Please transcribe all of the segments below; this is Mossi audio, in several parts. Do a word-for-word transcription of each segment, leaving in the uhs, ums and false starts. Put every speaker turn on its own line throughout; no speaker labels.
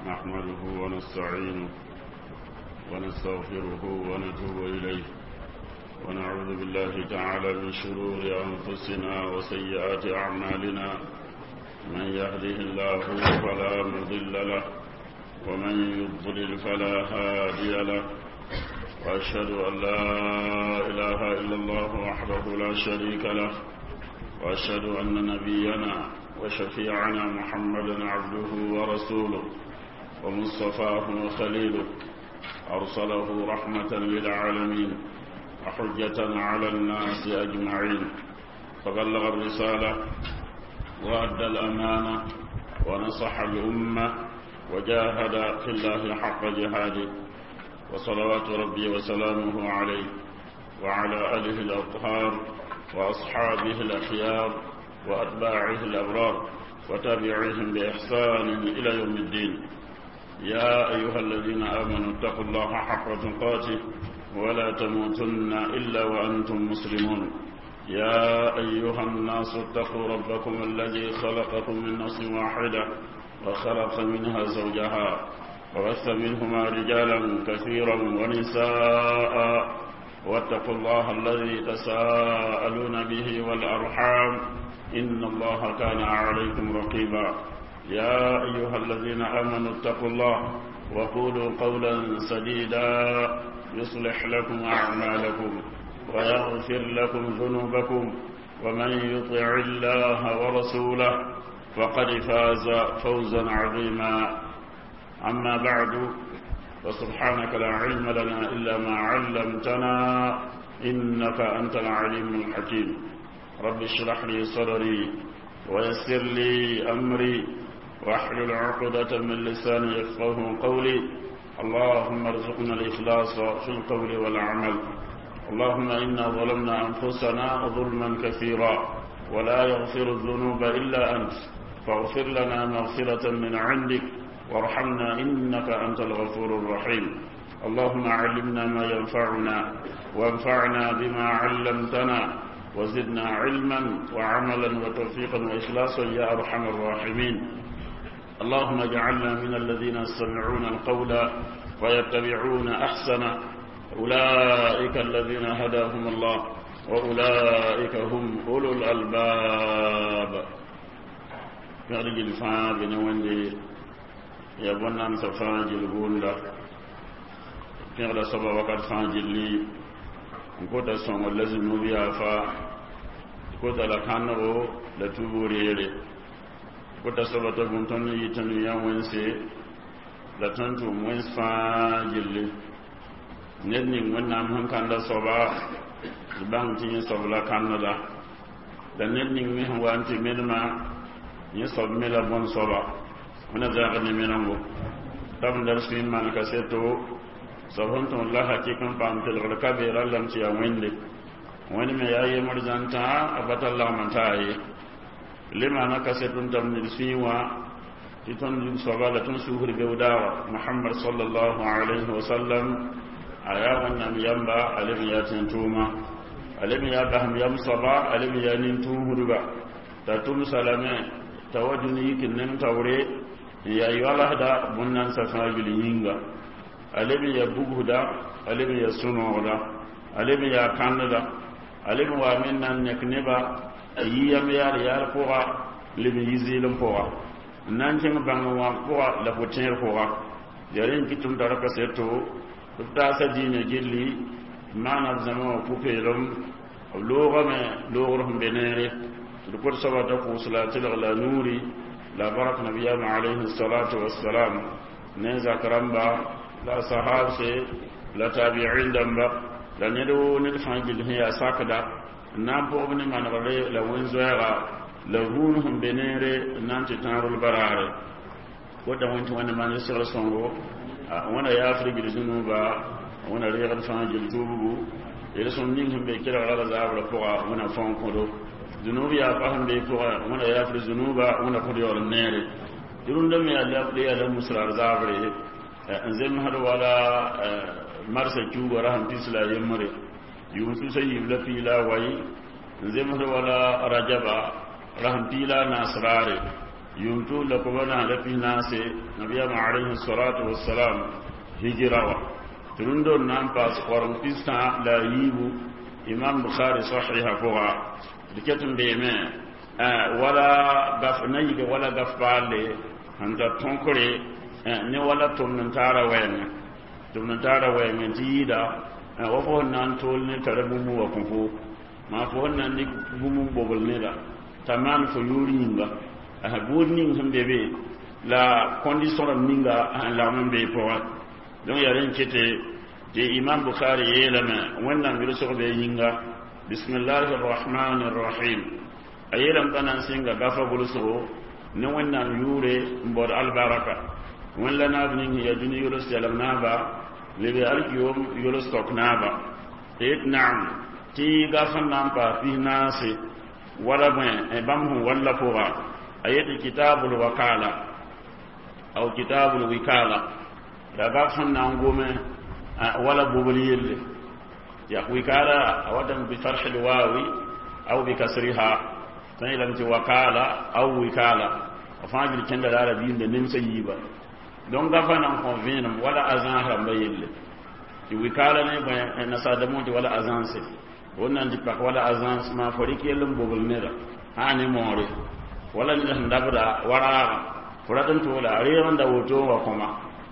نحمده ونستعينه ونستغفره ونتوب إليه ونعوذ بالله تعالى من شرور أنفسنا وسيئات أعمالنا من يهده الله فلا مضل له ومن يضلل فلا هادي له وأشهد أن لا إله إلا الله وحده لا شريك له وأشهد أن نبينا وشفيعنا محمدا عبده ورسوله ومصطفاه وخليله أرسله رحمة للعالمين وحجة على الناس أجمعين فبلغ الرسالة وأدى الأمانة ونصح الأمة وجاهد في الله حق جهاده وصلوات ربي وسلامه عليه وعلى آله الأطهار وأصحابه الأخيار وأتباعه الأبرار وتابعيهم بإحسان إلى يوم الدين. يا أيها الذين آمنوا اتقوا الله حق تقاته ولا تموتن إلا وأنتم مسلمون. يا أيها الناس اتقوا ربكم الذي خلقكم من نفس واحدة وخلق منها زوجها وبث منهما رجالا كثيرا ونساء واتقوا الله الذي تساءلون به والأرحام إن الله كان عليكم رقيبا. يا أيها الذين آمنوا اتقوا الله وقولوا قولا سديدا يصلح لكم أعمالكم ويغفر لكم ذنوبكم ومن يطع الله ورسوله فقد فاز فوزا عظيما. أما بعد، فسبحانك لا علم لنا إلا ما علمتنا إنك أنت العليم الحكيم. رب اشرح لي صدري ويسر لي أمري واحلل عقدة من لساني يفقه قولي. اللهم ارزقنا الإخلاص في القول والعمل. اللهم إنا ظلمنا أنفسنا ظلما كثيرا ولا يغفر الذنوب إلا أنت، فاغفر لنا مغفرة من عندك وارحمنا إنك أنت الغفور الرحيم. اللهم علمنا ما ينفعنا وانفعنا بما علمتنا وزدنا علما وعملا وتوفيقا وإخلاصا يا أرحم الراحمين. اللهم اجعلنا من الذين يستمعون القول ويتبعون أحسنه، أولئك الذين هداهم الله وأولئك هم أولو الألباب. يرجي الفا بنوندي يا بنام سفا جلبوندا pẽgda soaba wakat fãa gilli n kota sõngr la zũnub yaa fa kota la kãnego la tuubg reere kota soaba t'a bũn tõnd n yɩ tõnd yã wẽnse la tõnd tʋʋm wẽns fãa gilli ned ning Wẽnnaam sẽn kãnda soaba d bãng tɩ yẽ soab la kãneda la ned ning me sẽn wa n tɩ menema yẽ soab me la bõn soaba wẽna zãag ne menengo t'a b n sũy n maan kaseto soab sẽn tõod la hakɩk n paam kelgr ka beera lame tɩ yaa Wẽnde Wẽnd me yaa yembr zãn-tã a pa tar lagm n taa ye le maana kaset n tab ned sũyẽ wã tɩ tõnd soaba la tõnd sugr beoodaaga Mohamad sallallahu alayhi wa sallam a yaa Wẽnnaam yamba a leb n yaa tẽn-tʋʋma a leb n yaa basem yam soaba a leb n yaa nin-tũusdba t'a tʋmsa lame t'a wa dũni yik n neng taoore n yaa yoalsda bõn-nansã fãa gill yĩnga a leb n yaa bugsda a leb n yaa sũ-noogda a leb n yaa kãndda a leb n waa me n na n nek neba a yi yam yaal yaal pʋga leb n yi zɩɩlem pʋga n na n kẽng bãng n wã pʋga la pʋ-tẽer pʋga yaa rẽ n kɩt tɩ m tara kaseto b taasa diinã gilli maana b zãma wã pʋ-peelem b loogame loogr sẽn be neere d kot soaba t'a kʋʋs la a tɩlg la a nuuri la barak nabiyama alayhi salatu wassalam ne zak rãmba la sahabse la tabi'in dãmba la ned woo ned fãa gill sẽn yaa sakda n na n pʋgb ne manegre la wẽn-zoɛɛga la rũun sẽn be neere n na n tɩ tãarl baraare kota wẽn tɩ Wẽnde maan segl sõngo Wẽnda yaafr gil zũnuba Wẽnda reegd fãa gil tuubgu yel-sõm ning sẽn be kelgra la zaabrã pʋga Wẽnda fãong kõdo zũnub yaa pa sẽn be pʋga Wẽnda yaafr zũnuba Wẽnda kõd yaool n neere tɩ rũndã me yaa la musrar zaabre n zemsd wala marsa kiuugã ra sẽn pis la a yembre yʋʋm tus a yiib la pii la a wai n zemsd wala rajaba ra sẽn pii la a naas raare Yʋʋm tuug la koba naas la pis naase nabiyaamã alayhi salatu wasalam hijra wa tɩ rũndor na n paas koreng pistã la a yiibu imam bukhari sahiha pʋga d ket n beeme wala gaf na yig wala gaf paalle sẽn tar tõkre ne wala tʋmd n taara wɛɛngẽ tʋmd n taara wɛɛngẽ tɩ yɩɩda wa fo sẽn na n tool ne tara bũmb wa kõ fo maa fo sẽn na n dɩk bũmb n bobl neda t'a maan fo yʋʋr yĩnga buud ning sẽn be be la condition rãmb ninga sẽn lagm n bee pʋgẽ donc yaa rẽn kete tɩ imam bukhari yeelame wẽnnaam yʋlsg be yĩnga bismillahi rrahmani rrahim a yeelame t'a na n sɩnga gafa gʋlsgo ne wẽnnaam yʋʋre n baood albaraka wẽn la naab ning sẽn yaa dũni yols yɛlem naaba lebe alkiyom yols tok naaba tɩ yet naam tɩ gaf sẽn na n paas pis naase wala bõe bãmb sẽn walla pʋga a yetɩ kitabul wakala aw kitabul wikala la gaf sẽn na n gome wala bobl yelle ya wikala a watame bi farhi lwawi aw bi kasriha tõe yeelame tɩ wakala aw wikala a fãa gil kẽnda la rabiimde nemsã yiiba donc gafa nan kõ vẽenem wala agence rãmba yelle tɩ wikala ne bõe nasaadamõ tɩ wala agence wẽnnaam tɩ pak wala agence maa fo rɩk yell n bobl neda sã ne moore wala ned sẽn dabda wa raagã fo rat n toola a reeg n da woto n wa kõma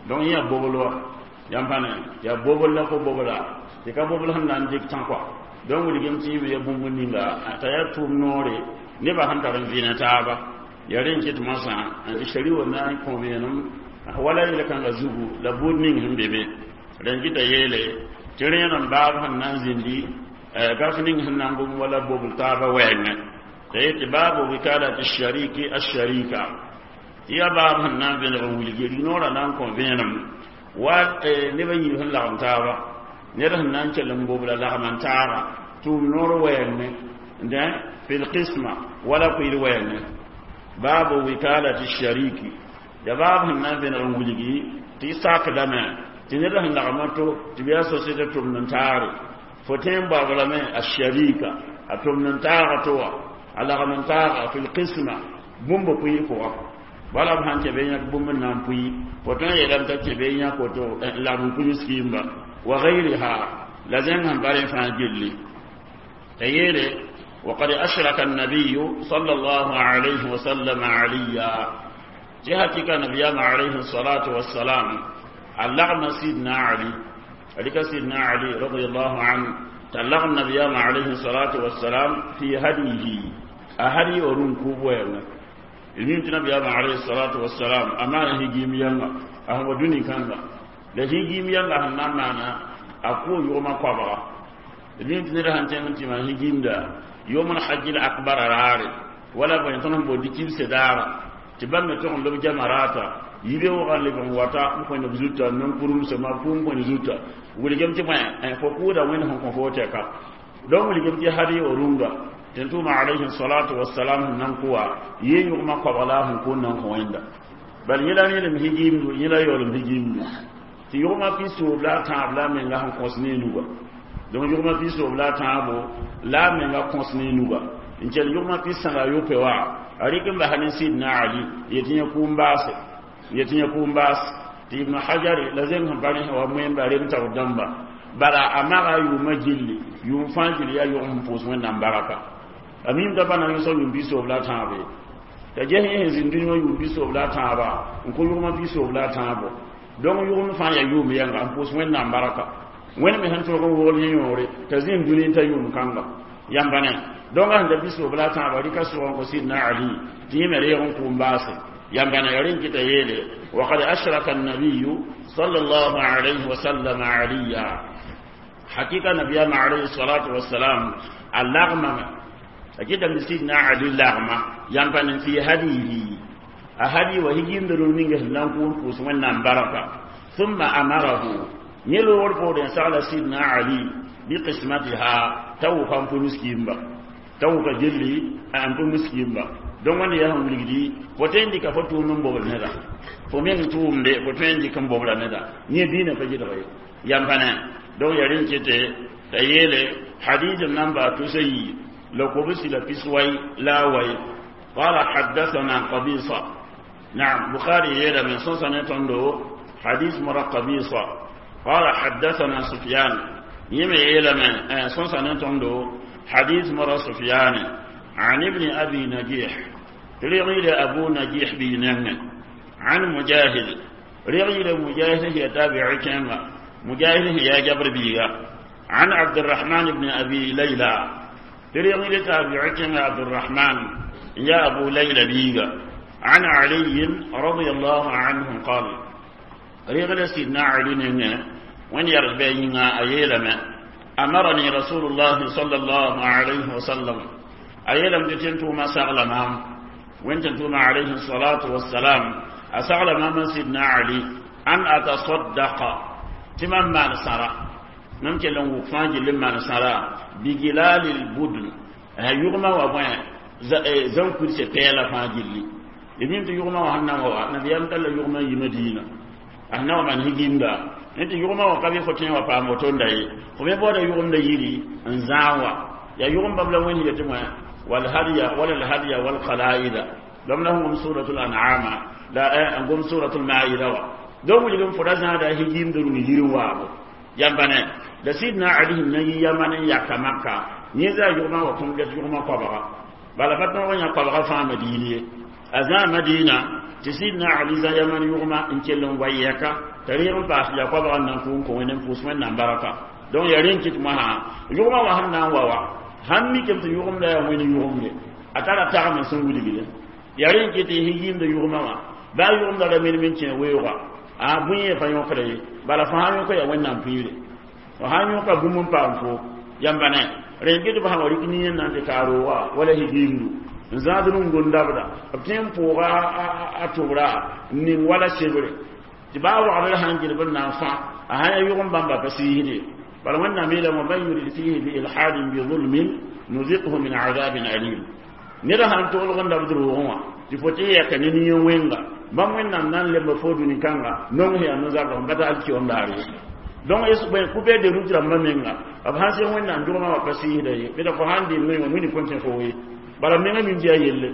donc yẽ yaa bobl wa yãmb pa ne yaa bobl la fo bobla tɩ ka bobl sẽn na n dɩk tã kɔa donc wilgem tɩ yĩme ya bũmb ninga t'a yaa tʋʋm noore nebã sẽn tar n vɩɩna taaba yaa rẽ n ket moasã tɩ shari wa na n kõ vẽenem wala yel-kãngã zugu la buud ning sẽn be be rẽn kɩta yeele tɩ rẽenem baab sẽn na n zĩndi gaf ning sẽn na n gom wala bobl taaba wɛɛngẽ t'a yetɩ baabu wikalati shariki asharika tɩ yaa baab sẽn na n vẽneg n wilgi rignoorã na n kõ vẽenem wa nebã yiib sẽn lagem taaba ned sẽn na n kell n bobla lagm n taaga tʋʋm noor wɛɛngẽ dẽ fi lqisma wala kʋɩl wɛɛngẽ baabu wikalati shariki ya baab sẽn na n vẽneg n wilgi tɩ y sakdame tɩ ned sẽn lagma to tɩ b yaa société tʋmd n taare fo tõe n baoolame a sharika a tʋmd n taaga to wa a lagm n taaga fi lqisma bũmb pʋɩ pʋga wala b sãn kẽ be yãk bũmb n na n pʋɩ fo tõe n yeelame t'a kẽ be yãk woto lagm n pʋɩ wa gayriha la zẽng sẽn pa rẽ fãa gilli t'a yeele وقد أشرك النبي صلى الله عليه وسلم عليا جهتك نبينا عليه الصلاة والسلام اللغم سيدنا علي عليك سيدنا علي رضي الله عنه تلغم نبينا عليه الصلاة والسلام في هديه أهدي ورون كوبوين المهم نبينا عليه الصلاة والسلام أما هجيم ينغا أهو دوني كانغا la higim yãnga sẽn na n maana a kʋʋ yʋgmã koabga d mim tɩ ned sãn tẽng n tɩ maan higimda yʋʋm l hajj l akbara raare wala bõe tõnd sẽn boond kibse daara tɩ bãmb me tog n lob jamarata yibe wʋgã leb n wata n kõ neb zuta n kurumsa ma pʋʋm kõ ne zuta wilgem tɩ bõe fo kʋʋda wẽnd sẽn kõ fo tɛka donc wilgem tɩ hadi o rũnga tɩ n tʋʋma alayhi salatu wasalam sẽn na n kʋwa yee yʋgmã koabg la a sẽn kʋʋn na n kõ wẽnda bal yẽla rẽelem higimdu yẽla yaoolem higimdu tɩ yʋgmã pisoob la a tãab la a menga sẽn kõs ne nuga donc yʋgmã pisoob la a tãabo la a menga kõs ne nuga n kell yʋgmã pis-sãnga a yope wa a rɩk n basa ne sidna ali yetɩ yẽ kʋʋm baase yetɩ yẽ kʋʋm baas tɩ ibnu hajar la zẽng sẽn pa rẽ wa moẽmba rem taoor dãmba bala a maga a yʋʋmã gilli yʋʋm fãa gilli yaa yʋgm sẽn pʋʋs wẽnnaam baraka a mim t'a pa na n yõsg yʋʋm pisoob la a tãabe t'a ges yẽ sẽn zĩnd dũni wã yʋʋm pisoob la a tãaba n kõ yʋgmã pisoob la a tãabo donc yʋgem fãa yaa yʋʋm yɛnga n pʋʋs wẽnnaam baraka wẽnd me sẽn tõog n wogl yẽ yõore t'a zĩnd dũni n ta yʋʋm kãnga yãmba ne donc a sẽn da pisoob la a tãaba rɩka sʋg n kõ sidna ali tɩ yẽ me reeg n kʋʋm baase yãmba ne rẽn kɩta yeele وقد أشرك النبي صلى الله عليه وسلم عليا حقيقة نبي عليه الصلاة والسلام اللغمة أكيد من سيدنا علي اللغمة ينبني في هديه أهدي وهجيم درون نكون فوس بركة ثم أمره نيلو ورفود سأل سيدنا علي بقسمتها تو كان في مسكين تو كجلي أن في مسكين donc wẽnd yaa sẽn wilgdi fo tõe n dɩka fo tʋʋmd n bobl neda fo meng tʋʋmde fo tõe n dɩk n bobla neda yẽ diinã pa gɩdg ye yam pa ne donc yaa rẽn kete t'a yeele hadith n na n baa tusa yi la kobsi la pis wai la a wai قال حدثنا قبيصة نعم بخاري يلا من سنة تندو حديث مرة قبيصة قال حدثنا سفيان يمي يلا من سنة تندو حديث مرة سفيان عن ابن أبي نجيح رغيل أبو نجيح بينه عن مجاهد رغيل مجاهد هي تابع كما مجاهد هي جبر بيغا عن عبد الرحمن بن أبي ليلى رغيل تابع كما عبد الرحمن يا أبو ليلى بيغا عن علي رضي الله عنه قال رغيل سيدنا علي وين يربينا أيلما أمرني رسول الله صلى الله عليه وسلم أيلم تتنتو ما سغلمام وين تنتو عليه الصلاة والسلام أسغل ما سيدنا علي أن أتصدق تمام ما نسرى ممكن لو وفاج لما نسرى بجلال البدن يغمى وبين زن كرسي بيلا فاجلي يمين يغمى وهنا وها نبي أمتلا يغمى يمدينة أهنا ومن هجيندا أنت يغمى وقبي فتين وفاموتون داي فمي بودا يغمى يري انزاوا يا يغمى بلا وين يتمه والهدي ولا الهدي والقلائد لم لهم سورة الأنعام لا أنقم سورة المائدة دوم لهم فرزنا هذا هجيم درون هيروا ينبني لسيدنا علي نجي يمن يكمكا نيزا يوما وكم جت يوما قبرا بل فتنا وين قبرا فا مدينة أزا مدينة تسيدنا علي زا يمن يوما إن كلهم وياك تريهم باش يا قبرا نكون كون نفوس من نبركة دون يرين كتمها يوما وهنا ووا han mi kem tɩ yʋgemda yaa wẽnd yʋgemde a tara tagm n sẽn wilgde yaa rẽn kɩ tɩ yĩmda yʋgmã wã baa yʋgemda ra men men kẽ weooga a bũe yẽ pa yõkda ye bala fo sã yõka yaa wẽnnaam pĩire fo sã yõka bũmb n paam fo yãmba ne rẽn kɩ tɩ b sã wa rɩk nin na n tɩ ka rooga wala higimdu n zãad rũngon dabda b tõe n pʋʋga a tʋbra n ning wala sebre tɩ baa wagdr sãn gɩdb n na n fã a sã yaa yʋgem bãmba pa siisde بل وإن ميلا ومن يريد فيه بإلحاد بظلم نذقه من عذاب أليم نرى أن تقول غندا بدروغوا تفوتي يكنني وينغا بام وين نان لم فودو نكانغا نون هي نزاغ بتا الكي on daare donc es ben couper de route ramba menga ab hanse wen nan duma wa pasi hide be da ko handi no woni konten fo wi bala menga min jiya yelle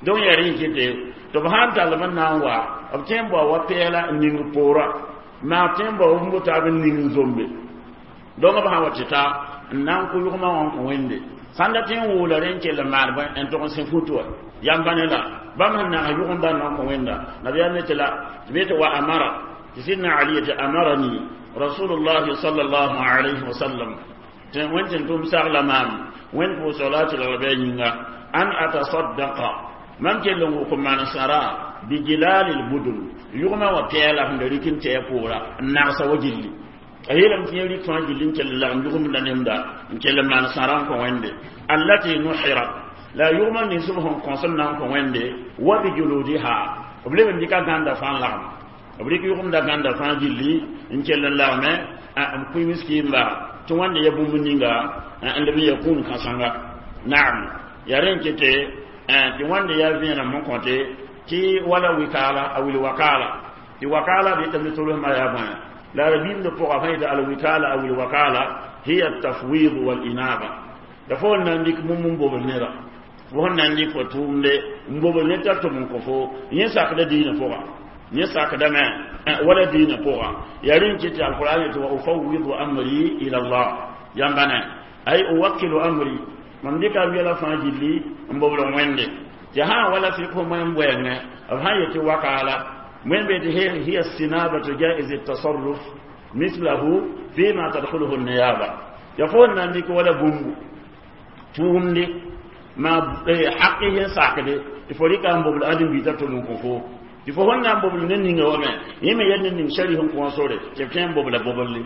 donc yari kete to han tal man nan wa ab tembo wa pela ning pora ma tembo umbo ta ben ning zombe donc b sã wa tɩ ta n na n kʋ yʋgmã wã n kõ wẽnde sãn dat n woola rẽ n kell n maan bõe n tog n sẽ futu wa yãmba ne la bãmb sẽn nags yʋgemda n na n kõ wẽnda nabiyaam ne tɩ la tɩ be tɩ wa amara tɩ sidna ali tɩ amarani rasulullah sallallahu alayhi wa sallam tɩ wẽnd tɩ n tʋm sagla maam wẽnd pʋʋsg la a tɩlgl bɩ a yĩnga an atasaddaqa mam kell n wʋk n maan sara bigilalil budun yʋgmã wã pɛɛla sẽn da rɩk n tɩ a pʋʋra n nagsa wa gilli a yeelame tɩ yẽ rɩk fãa gilli n kell lagm yʋgemda nemda n kell n maan sãra n kõ wẽnde allati nuhirat la yʋgmã nins b sẽn kõs n na n kõ wẽnde wa bijuludiha b leb n dɩka gãnda fãa n lagem b rɩk yʋgemda gãnda fãa gilli n kell n lagme b kʋɩ miskiimba tɩ wãnde ya bũmb ninga n leb n ya kũun kãsenga naam yaa rẽ n kete tɩ wãnde yaa vẽenem n kõte tɩ wala wikaala a wil wakaala tɩ wakaala b yetame tʋlsmã yaa bõe لا ربيم دفوق فايدة الوكالة أو الوكالة هي التفويض والإنابة دفول ننديك مم بوبل نرا وهن ننديك فتوم دي مبوبل نتا تمن كفو ينساك دا دين فوقا ينساك دا ما ولا دين فوقا يرين كتي القرآن وأفوض أمري إلى الله ينبنى أي أوكل أمري من ديك أبيلا فاجلي مبوبل ويندي جها ولا فيكم من وين أبها يتي وكالة من بيت هي هي السنابة جائز التصرف مثله فيما تدخله النيابة يقول عندك ولا بومبو تومني ما حقه ساكده يفوريك أم بقول أدم بيتا تلون كفو يفهون أم بقول نينغ وما يما يدن شريهم كوانسوري تفهم بقول بقول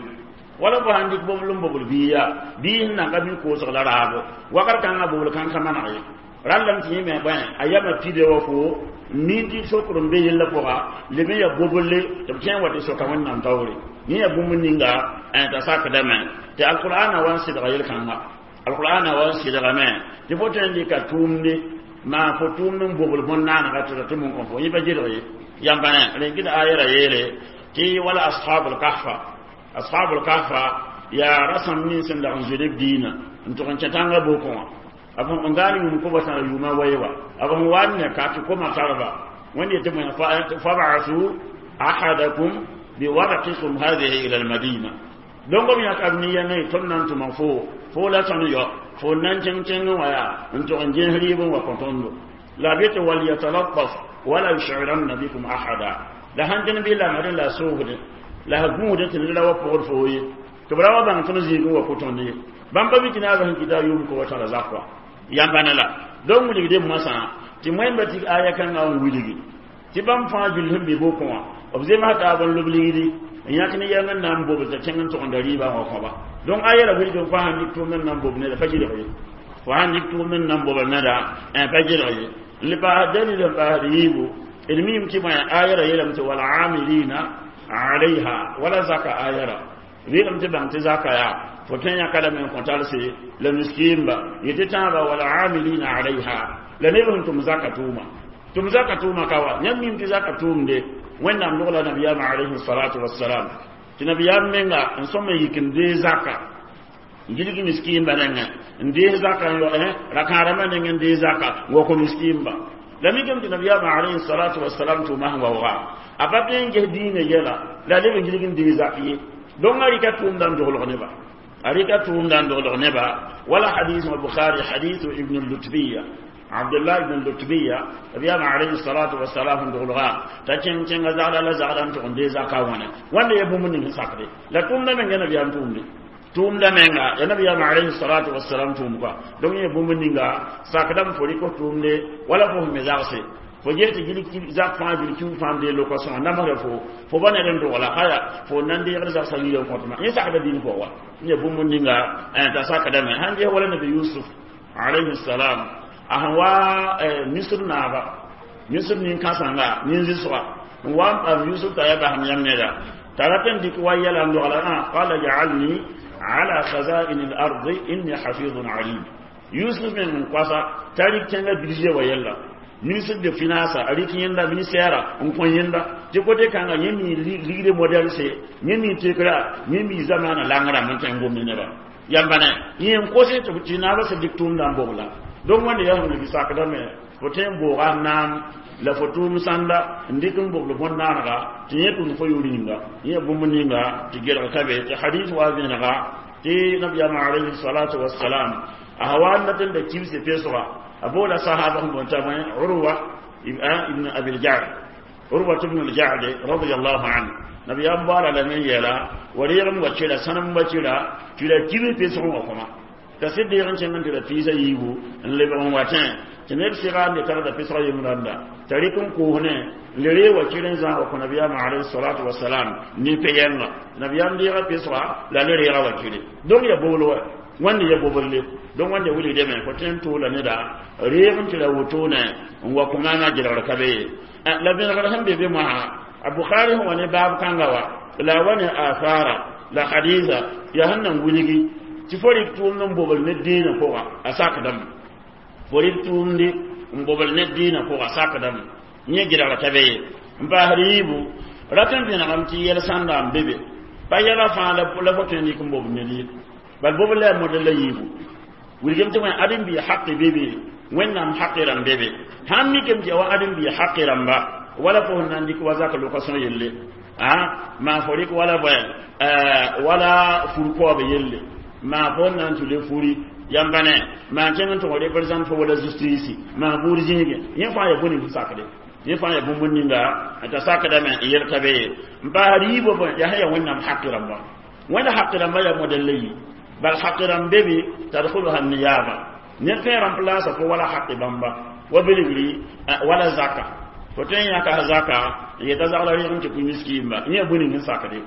wala bo han dik boblum bobl biya bi na ka bi ko so la raabo wakar kan na bobl kan kamana ye rallam ti yẽme bõe a yama pide wa fo min tɩ sokr n be yella pʋga leb n ya bobolle tɩ b kẽ wa tɩ soka wẽnnaam taoore yẽ ya bũmb ninga t'a sakdame tɩ alqur'ana wa n sɩdga yel-kãnga alqur'ana wa n sɩdgame tɩ fo tõe n dɩka tʋʋmde maa fo tʋʋmd n bobl bõn-naanega tɩ ra tɩ mun kõ fo yẽ pa gelg ye yãmba ne rẽn kɩ ayara yeele tɩ wala ashabul kahfa ashabul kahfa yaa rasãmb nins n dag n zoe b diinã n tʋg n kẽ tãngã bokẽ wã b n gaal yũum koba tãra yʋʋma wayewa b sẽn wa ne ka tɩ koma tarba wẽnd yetɩ fab'athu ahadakum biwarqikum hadihi ila almadina donc b yãka b ne-yɛngẽ tõnd na n tʋma fo fo la tõnd yɔ fo nan kẽng kẽng wã yaa n tʋg n ges rɩɩb n wa kõ tõndo la b yetɩ walyatalattaf wala yushiranna bikum ahada la sãn dẽn bɩ lamdẽ la soogdẽ la a gũudẽ tɩ ned ra wa pʋgd foo ye tɩ b ra wa bãng tõnd zĩigẽ wa kõ tõnd ye bãmb pa mi tɩ naabã sẽn kɩta a yʋʋm ko wa tãra zak wa yãmba ne la donc wilgde moasã tɩ wẽnda tɩ aya kãngã n wilgi tɩ bãmb fãa gill sẽn be bokẽ wã b zems taab n lob ligdi n yãk ne yɛng n na n bobl t'a kẽng n togenda rɩɩbã wã kõba donc aya ra wilg n fo sãn dɩk tʋʋmd n na n bob neda pa gɩlg ye fo sãn dɩk tʋʋmd n na n bobl neda pa gɩlg ye n le paas dalil n paasd yiibu d miime tɩ bõe aya ra yeelame tɩ wal'amilina alayha wala zaka aya ra vɩɩgame tɩ bãng tɩ zaka yaa fo tõe yãka lame n kõ talse la miskiimba yetɩ tãabã wal'amilina alayha la neb sẽn tʋm zaka tʋʋma tʋm zaka tʋʋma ka wa yãmb miime tɩ zaka tʋʋmde wẽnnaam logla nabiyaamã alayhi salatu wassalam tɩ nabiyaam menga n sõm n yik n dee zaka n gilg miskiimba nengẽ n dees zaka n rakãadãmbã nengẽ n dee zaka n wa kõ miskiimba la mikame tɩ nabiyaamã alayhi salatu wassalam tʋʋma sẽn waooga a pa tõe n ges diinã yɛla la a leb n gilg n dee zak ye donc a rɩka tʋʋmda n doglg neba a rɩka tʋʋmda n doglg neba wala hadis bukhari hadis ibn lutbiya abdullah ibn lutbiya nabiyama alayhi salatu wassalam n doglga t'a kẽng kẽnga zagda la zagda n tʋg n dee zaka wãne wãnda ya bũmb ning sakde la tʋʋmda menga nabiyaam tʋʋmde tʋʋmda menga ya nabiyama alayhi salatu wassalam tʋʋm kɔa donc yẽ bũmb ninga sakdame fo rɩk f tʋʋmde wala fo me zagse fo ges tɩ gilg zak fãa gilg kiu fãa n dee loka-sõa namsda fo fo ba ned n dogla haya fo nan deegd zagsã yila n kõtma yẽ sakda dĩn pʋgã wa yẽ bũmb ninga t'a sakdame sãn ges wala nabi yusuf alayhi salam a sẽn wa misr naaba misr nin-kãsengã nin-zɩsga n wa n paam yusuf t'a yaa basem yãmb neda t'a rat n dɩk wa yɛla n dogla qala ja'alni ala khaza'in al-ardi inni hafizun alim yusuf meng n koasa t'a rɩk kẽngã budget wa yɛlla ministre de finance a rɩk yẽnda ministère n kõ yẽnda tɩ kote kãnga yẽ mi ligde modèle se yẽ mi tekra yẽ mi zamaana lang rãmb n tõe n gomd neba yãmba ne yẽ n kose tɩ naabã sẽn dɩk tʋʋmdã n bobla donc wẽnde yaa sẽn wilg sakdame fo tõe n booga naam la fo tʋʋm sãnda n dɩk n bobl bõn-naanega tɩ yẽ tʋm fo yʋʋr yĩnga yẽ bũmb ninga tɩ gelg ka be tɩ hadis wa vẽenega tɩ nabiyaamã alayhi salatu wassalam a wa n dat n da kibse pesga a boola sahaba sẽn boon t'a bõe urwa ibn abil jad urwa ibn al-jad radiyallahu anhu nabiyaam baoala lame n yeela wa reegem wa kɩra sãnem wa kɩra tɩ ra kibs pesg n wa kõma t'a sɩd deeg n kẽng n tɩ ra piisa yiibu n lebg n wa tẽ tɩ ned sɩga n de tagda pesg yem rãnda t'a rɩk n koosne n le ree wa kɩr n zãag wa kõ nabiyaamã alayhi salatu wasalam ne pe-yɛnga nabiyaam deega pesga la le reega wa kɩre donc ya bobl wa wãnde ya boblle donc wãnde wilgdame fo tõe n toola neda reeg n tɩ ra wotone n wa kõ maamã gelgr ka be ye la vẽnegr sẽn be be moasã a bukhari sẽn wa ne baab kãnga wa la a wa ne athara la hadisa yaa sẽn nan wilgi tɩ fo rɩk tʋʋmd n bobl ne dĩinã pʋga a sakdame fo rɩk tʋʋmde n bobl ne dĩinã pʋga sakdame yẽ gelgr ka be ye n paasd yiibu rat n vẽnegame tɩ yɛl sãnda n be be pa yɛla fãa la fo tõe n dɩk n bobl ned ye bal bobl la yaa model la yiibu wilgame tɩ wẽ ãdem-biig haqi be be wẽnnaam haqi rãmb be be sãn mikame tɩ ya wa ãdem-biig haqi rãmba wala fo sẽn na n dɩk wa zak loka-sõor yelle a maa fo rɩk wala bõe wala fur-kaoob yelle maa fo n na n tʋ le furi yãmba ne maa kẽng n tʋg représente fo wala justice maa buud zĩige yẽ fãa ya bõe ning sakde yẽ fãa ya bũmb ninga t'a sakdame n yel ka be ye n paasd yiibã bõe yaa sẽn yaa wẽnnaam haqi rãmba wẽnd haqi rãmba yaa model la yi bal haqi rãmb be be tadkhuluha niyaba ned tõe remplace fo wala haqi bãmba wa bilgri wala zaka fo tõe n yãka zaka n yeta zagla rɩg n tɩ kʋ miskiimba yẽ bõe ning n sakde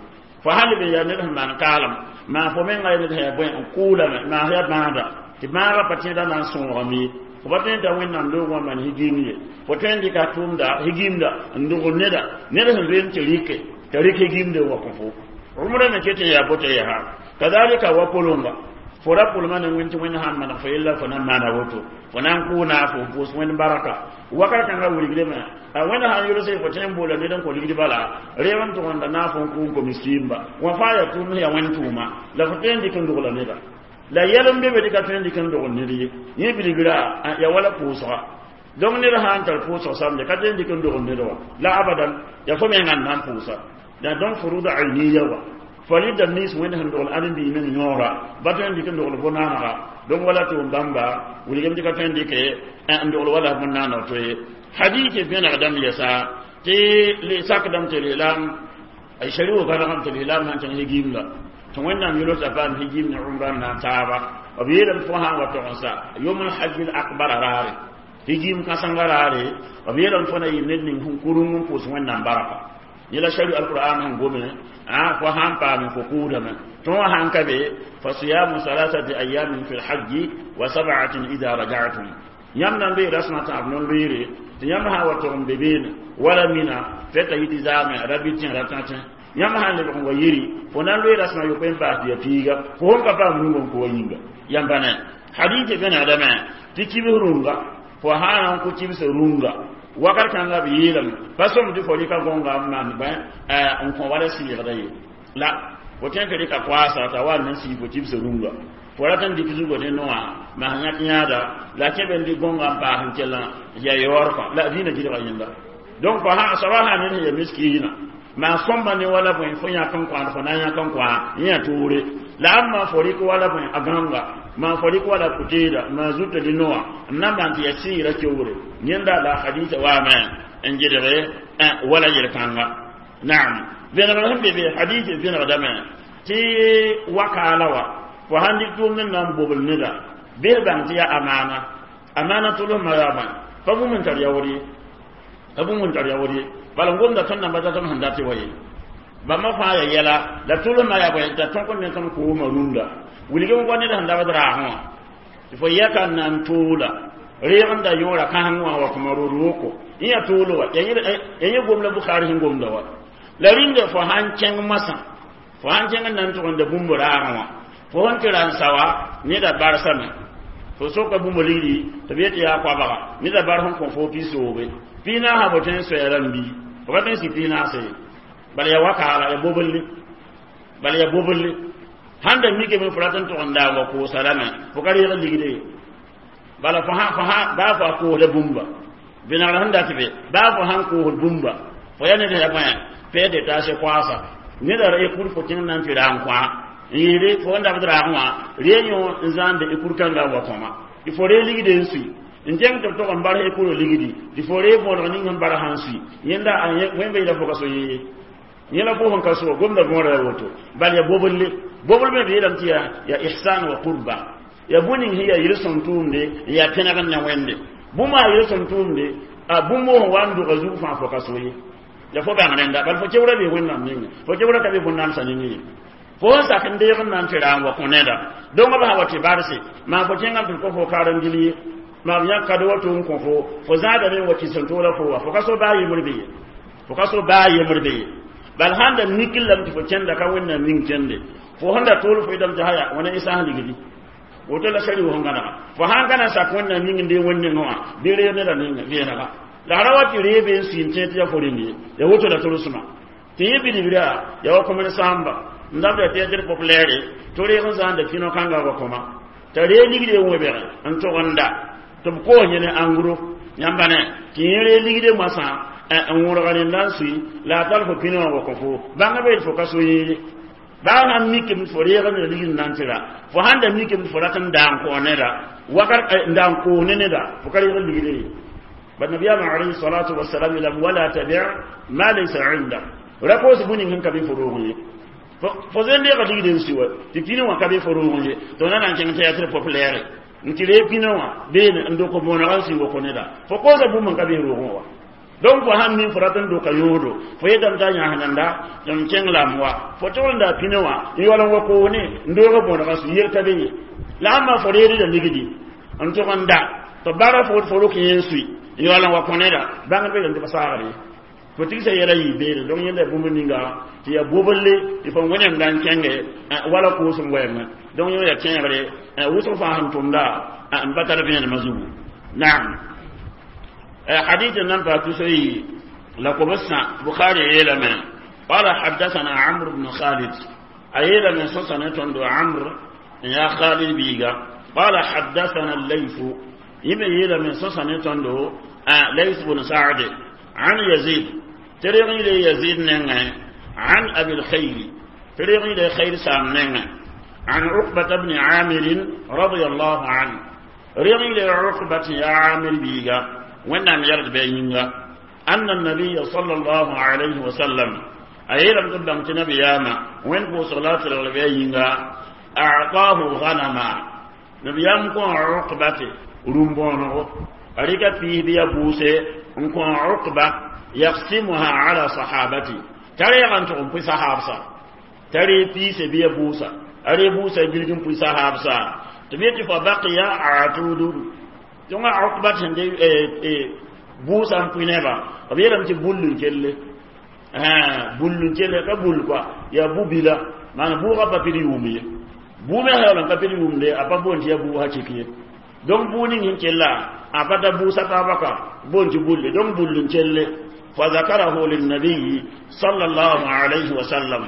fo hal be yaa ned sẽn maan kaalem maa fo menga yaa ned sẽn yaa bõe n kʋʋlame maa yaa bãada tɩ bãagã pa tẽeda na n sõogame ye fo pa tõe n ta wẽnnaam loogã wã maan higim ye fo tõe n dɩka tʋʋmda higimda n dogl neda ned sẽn zoeem tɩ rɩke t'a rɩk higimde n wa kõ fo rʋmda me ket n yaa boto yaa kadalika wa pʋlʋnga fo ra pʋlma ne wẽnd tɩ wẽnd sãn maneg fo yella fo na n maana woto fo na n kʋʋ naafo n pʋʋs wẽnd baraka wakat kãngã wilgdame a wẽnd sãn yʋlse fo tõe n boola ned n kõ ligd bala reeg n tʋgenda naaf n kʋ n kõ miskiimba wã fãa yaa tʋʋmd yaa wẽnd tʋʋma la fo tõe n dɩk n dogla neda La yɛlem be be tɩ ka tõe n dɩk n dogl ned ye yẽ bilgra ya wala pʋʋsga donc ned sã n tar pʋʋsg samde ka tõe n dɩk n dogl ned wa la abadan ya fo menga n na n pʋʋsa la donc furud ayniya wa farida nins wẽnd sẽn dogl ãdem-biig meng yõora ba tõe n dɩk n dogl bõn-naanega donc wala tʋʋm bãmba wilgame tɩ ka tõe n dɩke n dogl wala bõn-naaneg to ye hadith vẽnegdame yɛsa tɩ sakdame tɩ lislaam shari wo gãnegame tɩ lislaam sãn kẽng higim la tɩ wẽnnaam yʋlsa paam higim ne umra n na n taaba b yeelame fo sã n wa tog n sa yom lhajj l akbara raare higim kãsenga raare b yeelame fo na yɩ ned ning sẽn kurung n pʋʋs wẽnnaam barka yẽ la shari alqur'an sẽn gome fo sãn paame fo kʋʋdame tõog sãn ka be fa siyamu salasati ayamin fi lhajji wa sab'atin ida raja'tum yãmb na n bee rasmã tãab non-loeere tɩ yãmb sã n wa tog n be beene wala mina fɛta yɩ tɩ zaame ra bɩ tẽ ra tã tẽ yãmb sã n lebg n wa yiri fo na n loe rasmã yopoe n baas tɩ ya piiga fo sẽn ka paam rũngã n kʋ wa yĩnga yãmba ne hadith vẽnegdame tɩ kibs rũnga fo sã n kʋ kibs rũnga wakat kãnga b yeelame pa sõm tɩ fo rɩka gõnga n maan bõe n kõ wala sɩɩgda ye la fo tõe tɩ rɩka koaasa t'a wa n na n sii fo kibs rũnga fo rat n dɩk zugo ne noã mas yãk yãada la kẽ be n dɩk gõnga n paas n kell ya yaoor la dĩinã gɩdga yẽnda donc fo soaba sã ned sẽn ya miskiina maa sõmba ne wala bõe fo yãk n kõand fo na n yãk n kõa yẽ ya toore la a maa fo rɩk wala bõe a gãnga maa fo rɩk wala pʋteeda maa zuta dɩ noã n na n maan tɩ ya sɩɩra keoore yẽnda la hadisa waame n gɩdge wala yel-kãnga naam vẽnegr sẽn be be hadis vẽnegdame tɩ wakaala wa fo sãn dɩk tʋʋmd n na n bobl neda bɩs bãng tɩ yaa amaana amaana tʋlsmã yaa bõe pa bũmb n tar yaood ye pa bũmb n tar yaood ye bala n gomda tõnd namba datame sẽn dat wa ye bãmba fãa ya yɛla la tʋlsmã yaa bõe t'a tõk n ne tõnd koosmã rũndã wilg n wa ned sẽn dabd raasẽ wã tɩ fo yɛka n na n toola reeg n da yõora kãseng wã wa kõma rod woko yẽ ya toolo wa ya yẽ gom la Bukhari sẽn gomda wa la rĩnga fo sãn kẽng masã fo sãn kẽng n na n tʋg n da bũmb raagẽ wã fo sẽn tɩ ra n sa wa neda barsame fo soka bũmb ligdi tɩ b yet tɩ yaa koabga neda bar sẽn kõ fo pi-soobe pi-naasã fo tõe n soɛɛ rãmb bii fo ka tõe n sɩ pi-naase ye bala ya wakaala ya boblli bala ya boblli sãn da mikame fo rat n tʋg n daa wa koosa rame fo ka reeg ligde ye bala fo fo baa fo a koosda bũmba vẽnegr sẽn dat be baa fo sãn koosd bũmba fo ya ned ya bõe pɛɛ detaase koaasa neda ra ekur fo kẽng na n tɩ ra n kõa n yɩɩde fo n dabd raagẽ wã ree yõ n zãande ekur kãnga n wa kõma tɩ fo ree ligde n sui n kẽng tɩ b tog n bar ekurã ligdi tɩ fo ree võodg ning sẽn bar sãn sui yẽnda wẽmba yɩla fo ka so yee yẽ la fo sẽn ka so gomda võora ya woto bal ya boblle bobl me b yeelame tɩ ya ya ihsan wa qurba ya bũn ning sẽn ya yel-sõm tʋʋmde n yaa pẽneg n ne wẽnde bũmb a yel-sõm tʋʋmde a bũmb sẽn wa n dʋga zug fãa fo ka so ye ya fo bãng rẽnda bal fo kewra bee wẽnnaam ninga fo kewra ka be bõn-namsã ning ye fo sẽn sak n deeg n na n tɩ ra n wa kõ neda donc b sã wa tɩ barse maa fo kẽngame tɩ b kõ fo karen-gil ye maa b yãk kado wa tʋ n kõ fo fo zãadame n wa kɩs n toola fo wa fo ka so baa yembr be ye fo ka so baa yembr be ye bal sãn da mikl lame tɩ fo kẽnda ka wẽnnaam ning kẽnde fo sẽn da tool fo yetame tɩ haya wãna y sãs ligdi woto la sari sẽn gãnega fo sãn ka na n sak wẽnnaam ning n dee wẽnd nengẽ wã bɩ reeg neda ning vẽenega la ra wa tɩ reebe n sɩɩn tẽ tɩ ya fo rẽnd ye ya woto la tʋlsmã tɩ yẽ bilibra ya wa commerçant n dabda théâtre populaire tɩ reeg n zãanda pino kãnga wa kõma t'a ree ligde n wẽbge n tʋg n da tɩ b koos yẽ ne engros yãmba ne tɩ yẽ ree ligde moasã n wõrga rẽnda n sui la a tar fo pino wã wa kõ fo bãnga be fo ka so yẽ baa sãn mikame fo reeg n ligd n na n tɩ ra fo sãn da mikame fo rat n daa n kõ neda wakat n daa n koos ne neda fo ka reeg ligde ye bal nabiyama alayhi salatu wasalam yeelame wala tabi ma laysa indak ra koos bũn ning sẽn ka be fo roog ye fo zen deega ligd n sui wa tɩ pino wã ka be fo roog ye tɩ na na n kẽng théâtre populaire n tɩ ree pino wã beene n dok bõoneg n sui wa kõ neda fo koosa bũmb n ka be roogẽ wa donc fo sãn min fo rat n doka yoodo fo yetame t'a yãsnenda tɩ m kẽng la m wa fo tʋg n da pino wã n yaool n wa koos ne n doog bõoneg n sui yel ka be ye la ãmba fo reedda ligdi n tʋg n da tɩ bara fo fo rok yẽ n sui n yaool n wa kõ neda bãngd be tɩ pa saagr ye fo tigsa yɛla yɩ beene donc yẽnda bũmb ninga tɩ ya boblle tɩ fo wẽnem da n kẽnge wala koosem wɛɛngẽ donc yẽ ya kẽegre wʋsg fãa sẽn tʋmda n pa tar vẽenemã zugu naam حديث نمبر تسعي لقبسنا بخاري يلم قال حدثنا عمرو بن خالد أيلا من سنة عمرو يا خالد بيغا قال حدثنا الليث يبي من سوسن تندو ليث بن سعد عن يزيد تريغي لي يزيد نغ عن ابي الخير تريغي لي خير سام نغ عن عقبة بن عامر رضي الله عنه ريغي لي عقبة يا عامر بيغا ونام يرد بينغا أن النبي صلى الله عليه وسلم أيلم تبدأ نبي ياما وين بو صلاة الغبينغا أعطاه غنما نبيام كون عقبة رمبونو أريك فيه بيا بوسي نكون عقبة يقسمها على صحابتي تري أن تقوم في صحابسا تري في سبيا بوسا أري بوسا جلجم في صحابسا تبيت فبقي عتود ثم عقبة دي buusa n pʋɩ neba b yeelame tɩ bull n kelle bull n kelle ka bull kɔa yaa bu-bila maana bʋʋgã pa pid yʋʋm ye buu me yaool n ka pid yʋʋmde a pa boond tɩ yaa bʋʋsã kik ye donc buu ning sẽn kella a pa ta buusa taaba ka boond tɩ bulle donc bull n kelle fa zakarahu linnabiyi sallallahu alayhi wa sallam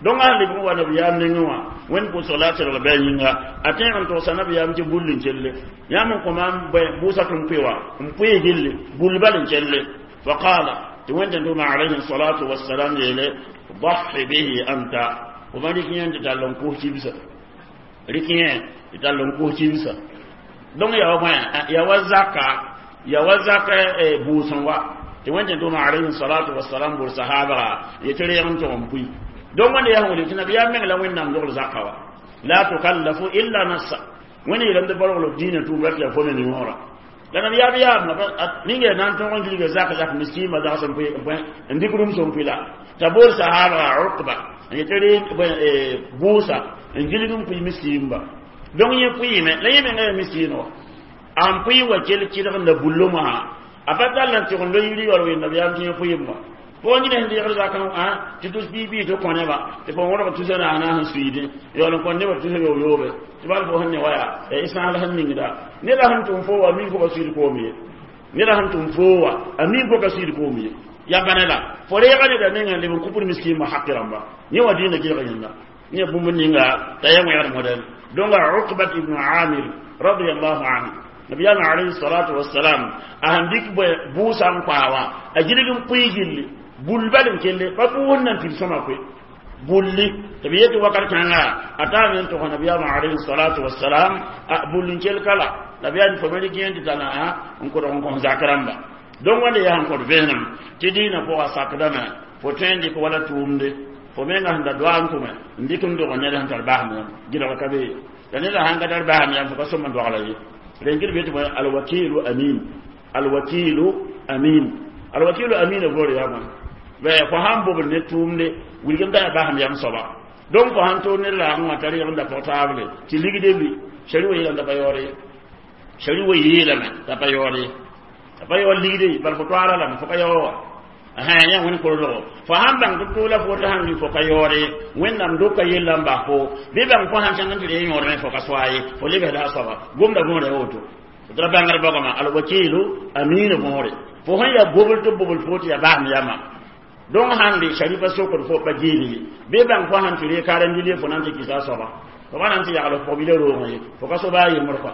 donc a leb n wa nabiyaam nengẽ wã wẽnd pʋʋsg la a tɩrg bɩ a yĩnga a tẽeg n togsa nabiyaam tɩ bull n kelle yãmb n kõ maam buusã tɩ n pʋɩ wa n pʋɩ gilli bull bal n kelle fa qaala tɩ wẽnd tʋma alayhi salatu wassalam yeele ضحي به أنت وما rɩk yẽ tɩ tall n kos kibsa rɩk yẽ tɩ tall n kos kibsa donc yaa wa ya wa zaka ya wa zaka buusẽ wa tɩ wẽnd tʋma alayhi salatu wassalam bor sahaba yetɩ reeg n tʋg n pʋɩ donc wẽnd yaa wẽnd tɩ nabiyaam meng la wẽnnaam dogl zaka wa la tukallafu illa nafsa wẽnd yeelame tɩ bargl diinã tʋʋm tɩ yaa fo me yõora la nabiyaam yaam ninga na n tõg n gilga zak zak miskiimã zags n pʋɩ n dɩk rũms n pʋɩ la t'a bool sahaba Uqba n yetɩ re buusa n gilg n pʋɩ miskiimba donc yẽ pʋɩɩme la yẽ menga yaa miskiin wa an pʋɩ wa kell kɩdg n la bullomã a pa tall n tɩg n lo yiri yaool ween nabiyaam tɩ yẽ pʋɩɩm wa fo yẽ sẽn deegd zakã tɩ tus bii-bii tɩ kõ neba tɩ fo wõrg tusa naana sẽn suiidẽ yaool n kõ nebã tusa yob-yoobe tɩ bal fo sẽn ne wa yaa sãasl sẽn ningda neda sẽn tʋm fo wa mi fo ka suiid koom ye neda sẽn tʋm fo wa a mi fo ka suiid koom ye ya bãne la fo reega neda nengã leb n kʋ pʋd miskiimã haqi rãmba yẽ wa dĩinã gɩlg yẽnda yẽ bũmb ninga t'a ya wẽgd modɛl donc Uqbat ibn Amir radiyallahu anhu nabiyam alayhi salatu wassalam a sẽn dɩk buusã n kpaa wa a gilg n pʋɩ gilli bull bal n kelle pa buus nan tɩ sõma koe bulli tɩ b yetɩ wakat kãnga a taame n togs nabiyaamã alayhi salatu wassalam a bull n kell kala nabiyaam fo me rɩk yẽ tɩ tala n kodg n kõs zak rãmba donc wãnda yaa sẽn kõt vẽenem tɩ dĩinã pʋga sakdame fo tõe n dɩk wala tʋʋmde fo menga sẽn da doa n tʋme n dɩk n dog ned sẽn tar basem yãmb gɩlg ka be la neda sãn ka tar basem yãmb fo ka sõm n dogla ye rẽn gɩd be tɩ alwakilu amin alwakilu amin alwakilu amin voor yaa bõe fo sãn bobd ne tʋʋmde wilg n ka basem yam soaba donc fo sãn toor ned laagẽ wã t'a reeg n da pʋg taable tɩ ligde bi shari wa yeelame t'a pa yaoor ye shari wa yeelame t'a pa yaoor ye t'a pa yaoor ligde bal fo toaara lame fo ka yaoor wa yã wẽnd kolgo fo sãn bãng tɩ tʋʋla fo tɩ sãn lʋɩ fo ka yaoore wẽnnaam doka yella n bas fo bɩ bãng fo sãn kẽng n tɩ ree yõodmẽ fo ka soa ye fo lebsda a soaba gomda võore woto tɩ ra bãngr baoogame alwakilu amina võore fo sẽn yaa bobl tɩ bobl fo tɩ yaa basem yama donc sãn le sharifa sokd fo pa geele ye bɩ bãng fo sãn tɩ ree karendile fo na n tɩ kɩsa a soaba fo pa na n tɩ yagl pʋgbila roogẽ ye fo ka so baa yembr kɔa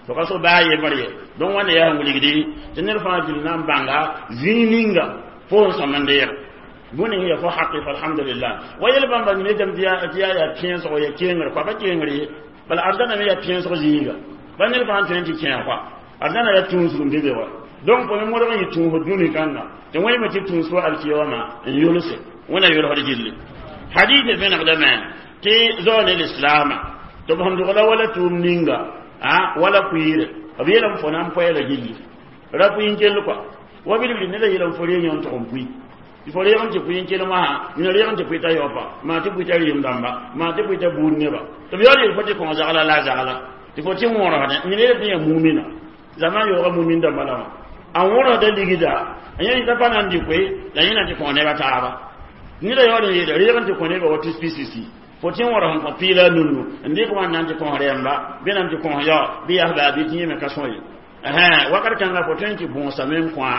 fo ka so baa yembr ye donc wãnda yaa sẽn wilgdi tɩ ned fãa gil na n bãnga zĩig ninga fo n sõm n deeg bũmb ning ya fo haqi fa alhamdulillah wa yel bãmba ne dãmb tɩ yaa yaa kẽensgo ya kengr kɔa pa kengr ye bala arzãna me yaa kẽensg zĩiga pa ned fãa tõe n tɩ kẽeg kɔa arzãna yaa tũusg n be be wa donc fo me modg n yɩ tũusd dũni kãnga tɩ wẽneme tɩ tũus fo alkiyama n yʋlse wẽna yʋlsd gilli hadith vẽnegdame tɩ zao ne lislaama tɩ b sẽn dogla wala tʋʋm ninga a wala kuiire b yeelame fo na n poɛɛla gilli ra pʋɩ n kell kɔa wa bilibili neda yeelame fo reeg yõ n tʋg n pʋɩ tɩ fo reeg n tɩ pʋɩ n kell wã nina reeg n tɩ pʋɩ t'a yaopa maa tɩ pʋɩ t'a rɩɩm dãmba maa tɩ pʋɩ t'a buud neba tɩ b yaool yeel fo tɩ kõ zagla la a zagla tɩ fo tɩ wõrosdẽ nina yeel tɩ yaa mumina zama yooga mumin dãmba la wã a wõrosda ligda a yẽ t'a pa na n dɩ koe la yẽ na tɩ kõ neba taaba neda yaool n yeela reeg n tɩ kõ neba wa tus pisisi fo tɩ wõros n kõ piila a nunnu n dɩk wãn na n tɩ kõs rɛɛmba bɩ na n tɩ kõs yao bɩ yaa baa bɩ tɩ yẽ me ka sõ ye wakat kãnga fo tõe n tɩ bõosame n kõa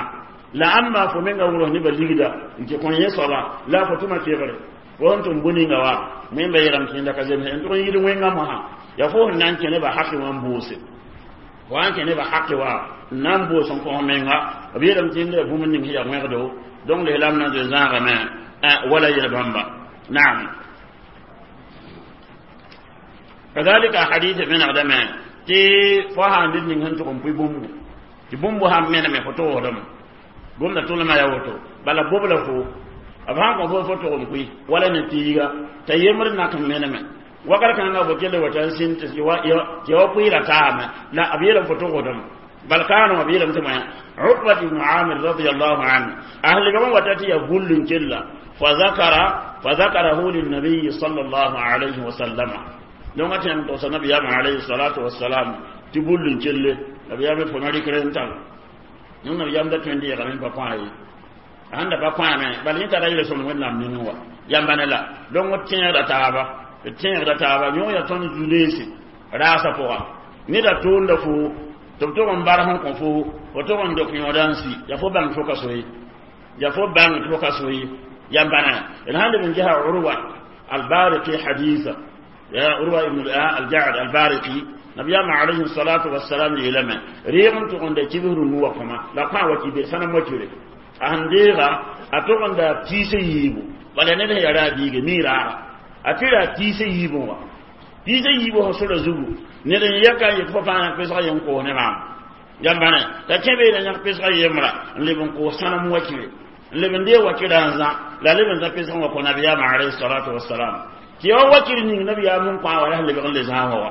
la ãmba fo menga wʋrs nebã ligda n tɩ kõ yẽ soaba la fo tʋma kegre Fo sẽn tʋm bũ-ninga wa wẽmba yeelame tɩ yẽnda ka zemse n tʋg n yid wẽngã mosã yaa fo sẽn na n kẽ nebã haqi wã n boose fo sãn kẽ nebã haqi wa n na n boos n kõ menga b yeelame tɩ yẽnda yaa bũmb ning sẽn yaa wẽgdo donc lislaam na n zoe zãagame wala yel bãmba naam kadalika hadith menegdame tɩ fo sã n ned ning sẽn tʋg n pʋɩ bũmbu tɩ bũmbu sãn meneme fo toosdame gomda tʋlmã yaa woto bala bobla fo b sãn kõ fo fo tʋg n pʋɩ wala ne tiiga t'a yembr nak n meneme wakat kãngã fo kell wa t'a sĩn tɩ ya wa pʋɩɩra taame la b yeelame fo togsdame bal kaanã wã b yeelame tɩ moã Uqbat ibn Amir radiyallahu anhu ahli ba wata tɩ ya bull n kella فذكر فذكره للنبي صلى الله عليه وسلم donc atẽem togsa nabiyaamã alayhi salatu wasalam tɩ bull n kelle nabiyaam fo na rɩkr n tal yẽ nabiyaam da tõe n deegame n pa kõ a ye a sẽn da pa kõame bala yẽ tara yel-sõmd wẽnnaam nengẽ wa yãmba ne la donc d tẽegda taaba d tẽegda taaba yõ ya tõnd zu-leese raasã pʋga neda tʋʋnda fo tɩ b tʋg n bar sẽn kõ fo fo tʋg n dok yõoda n si yaa fo bãng tɩ fo ka so ye yaa fo bãng tɩ fo ka so ye yãmba na d sãn leb n gesa Urwa albariqi hadisa ya Urwa ibn al-Ja'd al-Bariqi nabiyama alayhi salatu wassalam yeelame reeg n tʋg n da kibs rũnu wa kõma la kõ a wa kibir sãnem wa kire a sẽn deega a tʋg n da tiisã yiibu bala ned sẽn yaa ra a biige miiraaga a tɩ ra tiisã yiibẽ wa tiisã yiibu sẽn sora zugu ned n yɛka n yet fo fãa yãk pesga yen koos ne maam yãmba ne t'a kẽ beene yãk pesga yembra n leb n koos sãnem wa kire n leb n dee wakirã n zã la leb n zã pesg n wa kõ nabiyaamã alayhi salatu wassalam tɩ ya wa wakir ning nabiyaam n kõ a wa la sẽn lebg n le zãasã wa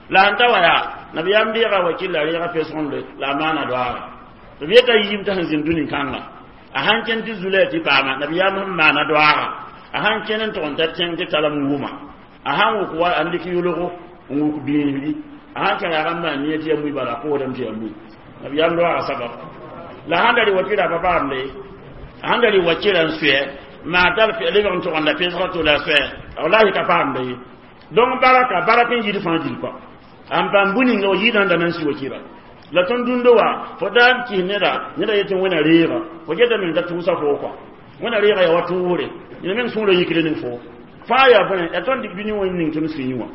la sẽn ta wa yaa nabiyaam deega wakir la reega pesg n le la a maana doaaga tɩ b yeta yiim t'a sẽn zĩnd dũni-kãnga a sãn kẽnd tɩ zulaya tɩ paama nabiyaam sẽn maana doaaga a sãn kẽnd n tʋg n tar tẽng tɩ talem wʋma a sãn wʋk wa n dɩk yʋlgo n wʋk biisdi a sãn kẽ yaag n maan nia tɩ ya mui bala a koosdame tɩ ya mui nabiyaam doaaga sabab la sãn da rɩ wakirã pa paamde a sãn da rɩ wakirã n sʋɛ maa tar lebg n tʋg n da pesga to la sʋɛ wallahi ka paamde ye donc baraka barak n yid fãa gil kɔa n paam bũ-ninga wa yɩɩdã n da na n si wakirã la tõnd dũndo wa fo daa n kis neda neda yetɩ wẽna reega fo geta meng t'a tʋʋsa foo kɔa wẽna reega yaa wa tʋʋsre yẽ meng sũurã yikre ning foo fãa yaa bõe yaa tõnd dɩk dũni wã n ning tõnd sũyẽ wã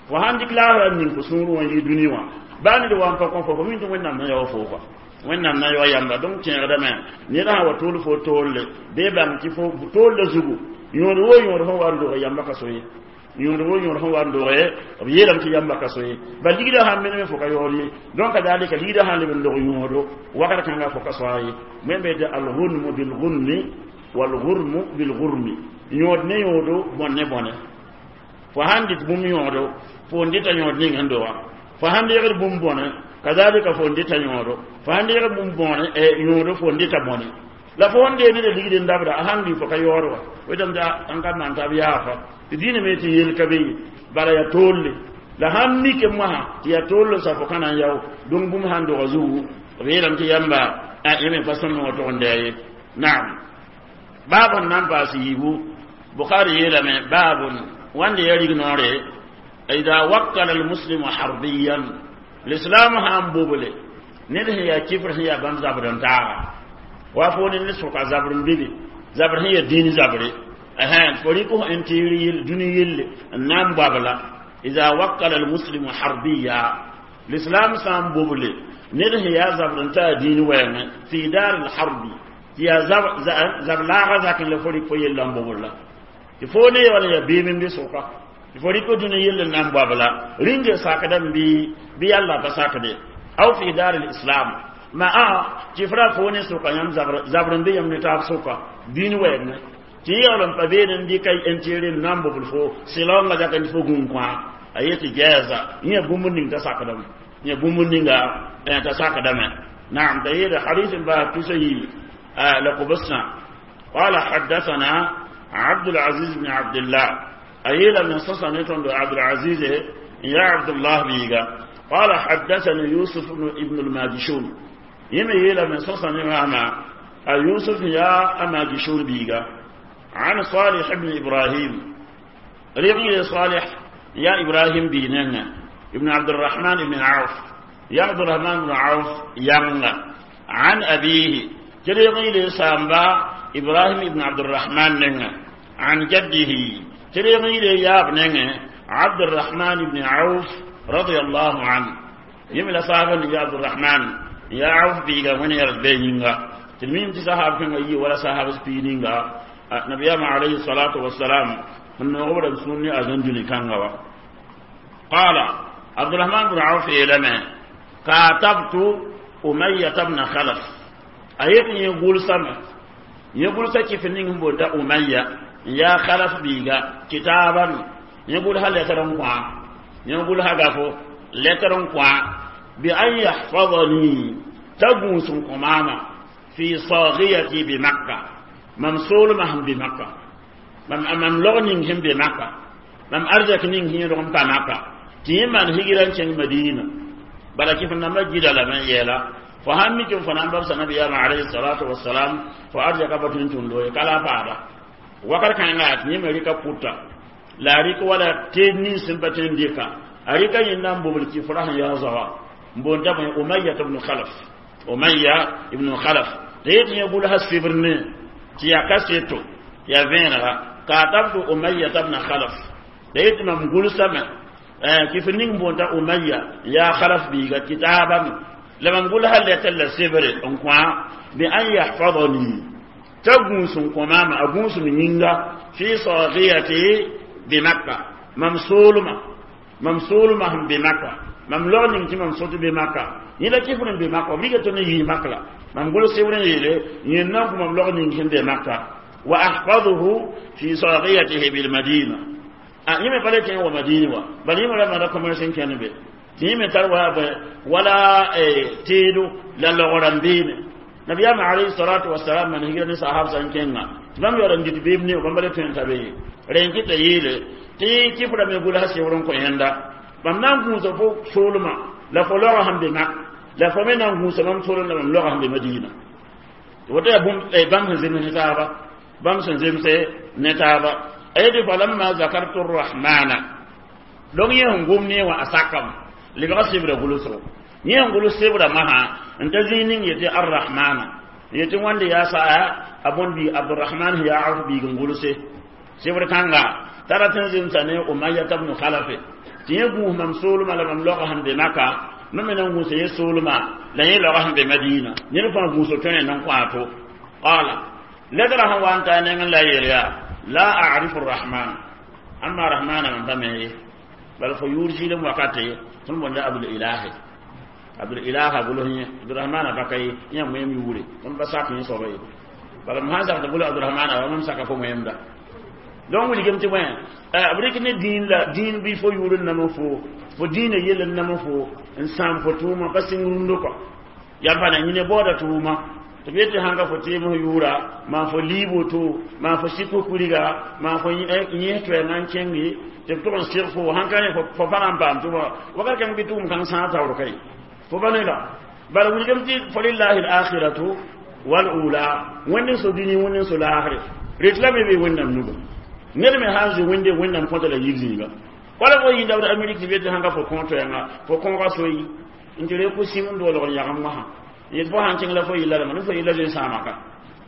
fo sãn dɩk laafra n ning fo sũurẽ wã n yɩ dũni wã baa ned wa n pa kõ fo fo mi tɩ wẽnnaam na yao foo kɔa wẽnnaam na yao yamba donc tẽegdame ned sã wa tʋʋl fo toolle bee bãng tɩ fo toolla zugu yõod wo yõod sẽn wa n doge yamba ka so ye yõod wo yõod sẽn wa n doge b yeelame tɩ yamba ka so ye bal ligdã sãn menem fo ka yaood ye donc kadalika ligdã sãn leb n dog yõodo wakat kãnga fo ka soa ye wẽn be tɩ algunmu bilgunmi walgurmu bilgurmi yõod ne yõodo bõn ne bõne fo sãn dɩt bũmb yõodo fo n dɩta yõod ning sẽn doga fo sãn deegd bũmb bõne kadalika fo n dɩta yõodo fo sãn deegd bũmb bõne yõodo fo n dɩta bõne la fo sẽn dee ned ligd n dabda a sãn lʋɩ fo ka yaood wa wetame tɩ n ka maan t'a b yaafa tɩ dĩinã me tɩ yel ka be ye bala yaa toolle la sãn mike mosã tɩ yaa tool sa fo ka na n yao dong bũmb sãn doga zugu b yeelame tɩ yãmba yẽ me pa sõm wã tʋg n dɛɛ ye naam baab sẽn na n paas yiibu Bukhari yeelame baabun wãnde ya rig noore ida wakkala almuslimu harbiyan l'islam sãn boble ned sẽn yaa kifr sẽn yaa bãmb zabr n taaga wa fo ne ned sʋka zabr n bibi zabr sẽn yaa dĩin zabre fo rɩk n tɩɩr yell dũni yelle n na n boabla ida wakkala almuslimu harbiya l'islam sã n boble ned sẽn yaa zabr n taa dĩin wɛɛngẽ fi dar alharbi tɩ yaa zab laaga zakẽ la fo rɩk fo yella n bobl la tɩ fo ne wala yaa beem n be sʋka tɩ fo rɩk dũni yell n na n boabla rĩnge sakdame bɩ bɩ yalla pa sakde aw fi dar alislam ma a tɩ fra fo ne sʋka yãmb zabr n be yãmb ne taab sʋka dĩin wɛɛngẽ tɩ yaool n pa beene n dɩka n tɩɩr n na n bobl fo sɩlaoongã zakẽ tɩ fo gũun kõa a yetɩ gɛɛsa yẽ bũmb ning t'a sakdame yẽ bũmb ninga t'a sakdame naam t'a yeele hadis n baa tusa yi la kobsã قال حدثنا عبد العزيز بن عبد الله أيلا من صصا نتون عبد العزيز يا عبد الله بيغا قال حدثني يوسف بن ابن الماجشون يمي يلا من صصا نعما يوسف يا أماجشون بيغا عن صالح بن إبراهيم رغي صالح يا إبراهيم بيننا ابن عبد الرحمن بن عوف يا عبد الرحمن بن عوف يمنا عن أبيه جريغي لسامبا إبراهيم بن عبد الرحمن ننا عن جده تريغي ياب نينه عبد الرحمن بن عوف رضي الله عنه يملا صاحب يا عبد الرحمن يا عوف بيغا من يرد بينغا تلميم تي صحاب كان يي ولا صحاب سبينينغا نبي عليه الصلاة والسلام من غبر سنني أزنجني كانغا قال عبد الرحمن بن عوف يلما كاتبت أمية بن خلف أيق يقول سما يقول سكي فنين بودا أمية يا خلف بيغا كتابا يقول هل يترون قوا يقول هغافو لترون قوا بأن يحفظني تغوس قماما في صاغيتي بمكة ممسول مهم بمكة مم مم لغنين هم بمكة مم أرزك نين هي رغم مكة تيمان هجران شن مدينة بل كيف نمجد لمن يلا فهمكم فنان بس النبي عليه الصلاة والسلام فأرجع بطن تندوي كلا فارا وكر كان لا نيمريكا بوتا لا ريك ولا تنين سنبتين ديكا أريكا ينام بولكي فرح يا زوا بونتا أمية بن خلف أمية بن خلف ليت يقول هالسبرني تيا كاسيتو يا فينرا كاتبت أمية بن خلف ليت ما مقول سما كيف نين بونتا أمية يا خلف بيغا كتابا لما نقول هل يتلا سبر انقوا بأن يحفظني تغوس قمام أغوس من في صاغيتي بمكة ممسولما ممسولما هم بمكة مملون انت ممسوت بمكة يلا كيف بمكة بيغا تني مكة ممقول سبر يلي ينام مملون انت بمكة وأحفظه في صاغيته بالمدينة yẽme pa le kẽ wa madini wa bala yẽme ra mara commerce n kẽnd be tɩ yẽme tar wa wala teedo la logr n beene nabiyaam alayhi salatu wasalam man higra ne sahab sã n kẽnga tɩ bãmb yaool n dɩt beem ne bãmb le tõe n ta be ye rẽ n kɩta yeele tɩ kɩfra me gʋlsa sebr n kõ yẽnda bãmb na n gũusa fo soolmã la fo laoga sẽn be mak la fo me na n gũusa bãmb soolem la bãmb laoga sẽn be madina woto yaa bãmb sẽn zems ne taaba bãmb sẽn zemse ne taaba aydi falamma zakartu arrahmana donc yẽ gom ne wa asakam lebga sebra gʋlsgo yẽ n gʋls sebra masã n ta zĩig ning yetɩ arrahmana yetɩ wãnde yaa saa a bõnd bi abdurahman yaa auf biig n gʋlse sebr kãnga t'a rat n zemsa ne umayata bnu khalafe tɩ yẽ gũus mam soolmã la mam laoga sẽn be maka mam me na n gũusa yẽ soolmã la yẽ laoga sẽn be madina ned fãa gũuso tõe n kõ a to qala ledra sẽn wa n ta nengẽ la yeel yaa لا أعرف الرحمن أما رحمن من بمه بل فيور جيلم وقته ثم بند أبو الإله أبو الإله أبو له عبد الرحمن بكاي يا مهم يوري ثم بساك يصبي بل ما هذا تقول عبد الرحمن أو مم ساك فو مهم ده donc wuli gem ti wẽn b rɩk ne dĩin la dĩin bɩ fo yʋʋr n nam fo fo dĩinã yell n nam fo n sãam fo tʋʋma pa sɩng rũndɔ kɔ yam pa na yĩne baooda tʋʋma tɩ b yetɩ sãnga fo tɩɩms yʋʋra maan fo liib woto maan fo sik fo kuriga maan fo yẽs toɛɛngã n kẽnge tɩ b tʋg n sɩg fo sãn ka rẽ fo pa na n paam tʋma wakat kãng bɩ tʋʋm kãng sãag taoor kaye fo pa ne la bala wilgame tɩ fo lillahi alakhiratu walula wẽnd n so dũni wẽnd n so laasre ret la me bee wẽnnaam nuga ned me sã n zoe wẽnde wẽnnaam kõta la yir zĩiga wala fo yĩnda b amerik tɩ b yetɩ sãnga fo kõ toɛɛngã fo kõoga soyi n tɩ re ku sim n doolg n yagem wãsã yet fo sãn kẽng la fo yilla rãmba ne fo yilla zoe n sãama ka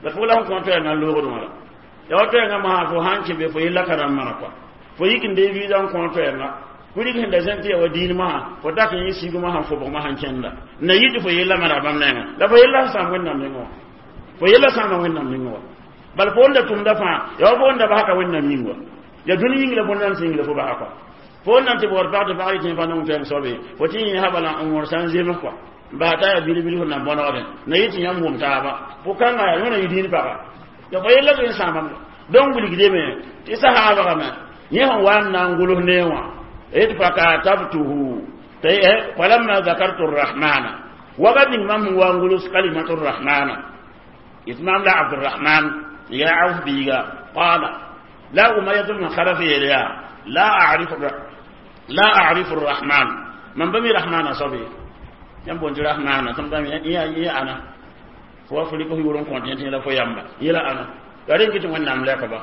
la fo la f kõ toɛɛngã loogdẽ wã la ya wa toɛɛngã masã fo sãn kẽ be fo yella ka rãmb mara kɔa fo yik n dee visa n kõ toɛɛngã kurig sẽn da zẽn tɩ ya wa diin masã fo dak n yẽ sig masã fobg masã n kẽnda na yɩ tɩ fo yella mara bãmb nengã la fo yella sẽn sãam wẽnnaam nengẽ wã fo yella sãama wẽnnaam nengẽ wã bala fo wẽnda tʋmda fãa ya wa fo wẽnda basã ka wẽnnaam yĩng wa ya dũni yĩng la bõn-nan sẽn yĩng la fo basa kɔa fo nan tɩ bɔɔd pag tɩ pag yetẽ pa nong toɛɛng soabe fo tɩ yẽ bala n wõr sã n zems kɔa basa t'a yaa bil-bil fo nan bõnegdẽ na yɩ tɩ yãmb wʋm taaba fo kãnga yaa yõna yɩ dĩin paga ya fo yella zoe n sãamame donc wilgdeme tɩ sahaabgame yẽ sẽn wa n na n gʋls nee wã yetɩ fakatabtuhu falamma zakartu rrahmana wakat ning mam sẽn wa n gʋls kalimatu rrahmana yetɩ maam la abdurrahman ya auf biiga qala la umayatu bn khalaf yeel yaa la arifu la arifu rrahman mam pa mi rahmana soab ye yãmb boond tɩ rahmana tɩ m yẽ ana fo wa fo rɩk f yʋʋr n kõt yẽ tɩ la fo yamba yela ana yaa rẽ kɩ tɩ wẽnnaam lɛka ba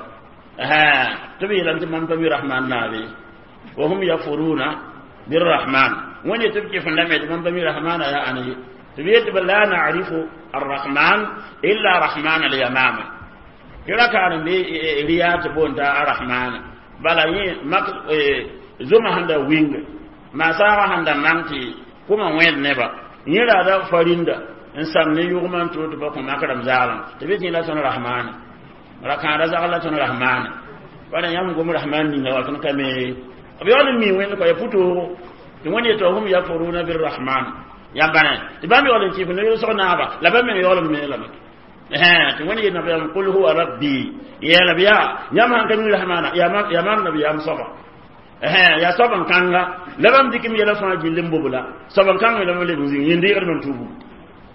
tɩ b yeelame tɩ mam pa mi rahman naabe wa hum yakfuruna birrahman wẽnd tɩ b kɩf n lame tɩ mam pa mi rahmana yaa ãna ye tɩ b yetɩ b la narifu arrahman illa rahman alyamama Tɩ rakaar n be riyaa tɩ boonda arahmana bala yẽ mak zoma sẽn da wing maasaagã sẽn da mang tɩ kʋma wẽed neba yẽ raada farinda n sam ne yʋgmã n tʋ tɩ ba kõ mak rãmb zaalem tɩ bɩ tɩ la tõnd rahmana rakãada zagl la tõnd rahmana wala yãmb gom rahman ninga wa tõnd ka me b yaool n mi wẽnd kɔ ya pʋtoogo tɩ wẽnd yetɩ hum yakfuruna birrahman yãmba ne tɩ bãmb yaool n kɩf ne yʋlsg naaba la bãmb meng yaool n me lame tɩ wẽnd yet nabiyam qul huwa rabbi yeela b yaa yãmb sãn ka mi rahmana yaa mam nabiyaam soaba yaa soab n kãnga la bãmb dɩk m yɛla fãa gill n bobla soab n kãng lame leb n zĩng yĩn-deegdm n tubu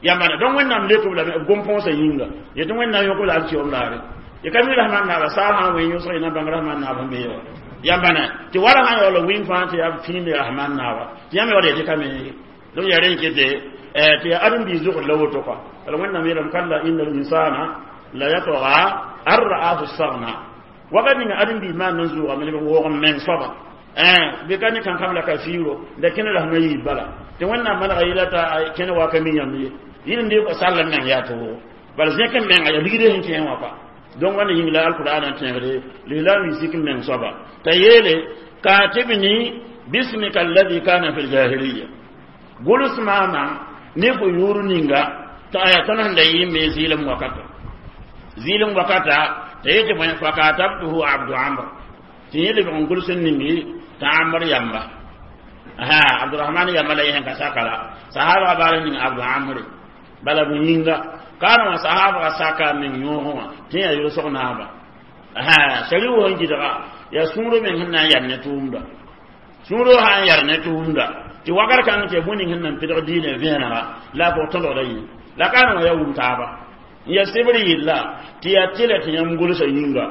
yãmba ne donc wẽnnaam leok b lame b gom-põosã yĩnga yetɩ wẽnnaam yõk b la alkiom laare y ka mi rahman naaba saa sã n wẽ yõsg y na bãng rahman naab n bee wa yãmba ne tɩ wala sã yaool wĩng fãa tɩ yaa fĩinde rahman naaba tɩ yãmb yaool yetɩ ka me donc yaa rẽ kete tɩ yaa ãdem-biis zʋgd la woto kɔa bala wẽnnaam yeelame kalla inna linsana la yatga an ra'ahu stagna wakat ninga ãdem-biis maan n zʋʋgame ne b woog n meng soaba bɩ ka ne kãnkam la ka fiiro la kẽne la sẽn yiib bala tɩ wẽnnaam manega yɩla t'a kẽne wa ka mi yãmb ye yɩl n dɩ sall n meng yaa tɩ wʋgo bala zẽk n menga yaa ligd sẽn kẽe wã pa donc wãnda yĩng la alqur'an n tẽegde lislaam yi sik n meng soaba t'a yeele katibni bismika alladhi kana fi ljahiliya gʋls maama ne fo yʋʋr ninga t'a aya tõnd sẽn da yɩ me zɩɩlem wakata zɩɩlem wakata t'a yetɩ bõe fakatabtuhu abdu amr tɩ yẽ lebg n gʋls n ningi t'a amr yamba ha abdurahman yamba la yẽ ka saka la sahabga baal ning abdu amre bala bũ yĩnga kaana wã sahabga saka meng yõogẽ wã tɩ yaa yʋlsg naaba ha sari wʋsẽ gɩdga yaa sũurã meng sẽn na n yar ne tʋʋmda sũurã sã n yar ne tʋʋmda tɩ wakat kãng tɩ bũmb ning sẽn nan pɩdg diinã vẽenega la a pʋg tõdgda yĩ la kaana wã yaa wum taaba n yaa sebr yella tɩ yaa tɩla tɩ yãmb gʋlsa yĩnga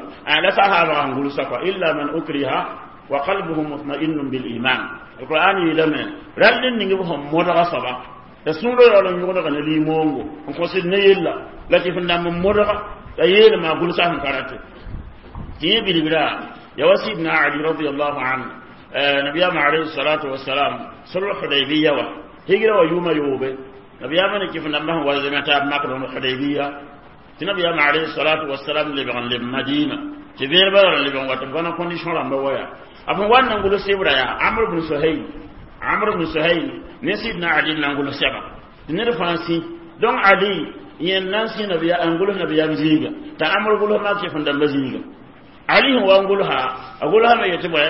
la sahabga sẽn gʋlsa kɔa illa man ukriha wa qalbuhu mutma'innun bil iman alquran yeelame rall n ning b sẽn modga soaba la sũurã yaool n yõgdga ne limoongo n kõsd ne yella la tɩ f ndãmb n modga la yeelma a gʋlsa sẽn ka rate tɩ yẽ bilbra ya wa sidna ali radiallahu anhu nabiyama alayhi salatu wassalam sulh hudaybiya wa higra wa yuma yobe nabiyama ne kif ndãmba sẽn wa zeme taab mak rõnd hudaybiya tɩ nabiyama alayhi salatu wassalam lebg n leb madina tɩ vẽeneba ra lebg n wa tɩ b bãna condition rãmba waya a fõn wa n na n gʋls sebra yaa amr bn suhayl amr bn suhayl ne sidna ali n na n gʋls sɛba tɩ ned fãa sĩ donc ali yẽnd na n sĩ nabiya n gʋls nabiyaam zĩiga t'a amr gʋls mak kɩf n dãmba zĩiga ali sẽn wa n gʋlsa a gʋlsame yetɩ bõe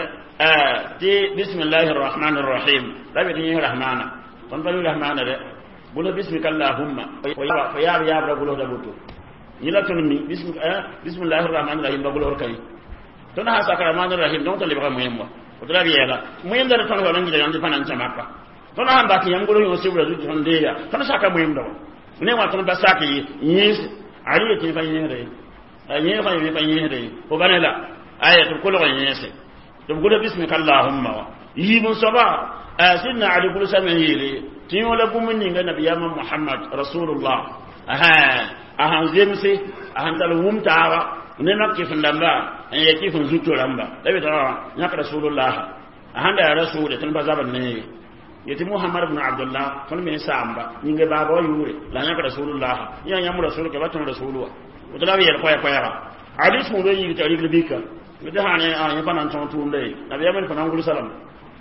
tɩ bismillahi rrahmani rrahim la be tɩ yẽ rahmana tõnd pa mi rahmana dɛ gʋls bismika allahumma fo yaab yaabra gʋlsda boto yẽ la tõnd mi bismillahi rrahmani rrahim ba gʋlsd ka ye tõnd sã sak rahmani rrahim donc tɩ lebga moẽm wa woto la b yɛɛla moẽmda d tõnd yaool n gɩda yãmb tɩ pa na n kẽ maka tõnd sãn bas tɩ yãmb gʋls yõ sebra zutu tõnd deeya tõnd saka moẽmda wa ne wã tõnd ba sak yẽes ali yetɩ pa yẽesda ye yẽes fa yẽ pa yẽesda ye fo ba ne la aya tɩ b kolg n yẽese tɩ b gʋls bismika allahumma wa yiib n soaba sidna ali gʋlsame n yeele tɩ yõ la bũmb ninga nabiyaamã muhammad rasulullah a sãn zemse a sãn tall wum taaba ne mak kɩf n dãmba n ya kɩf n zuto rãmba la be t'a yãk rasulullah a sãn da yaa rasuule tõnd pa zabd ne ye yetɩ muhammad bn abdullah tõnd me saamba yĩnga baaba wa yʋʋre la yãk rasulullah yã yãmb rasul ka ba tõnd rasul wa woto la b yɛl koɛ-koɛɛga ali sũurã yik t'a rigl bika tɩ sã ne yẽ pa na n tõog tʋʋmda ye nabiyaam d pa na n gʋlsa lame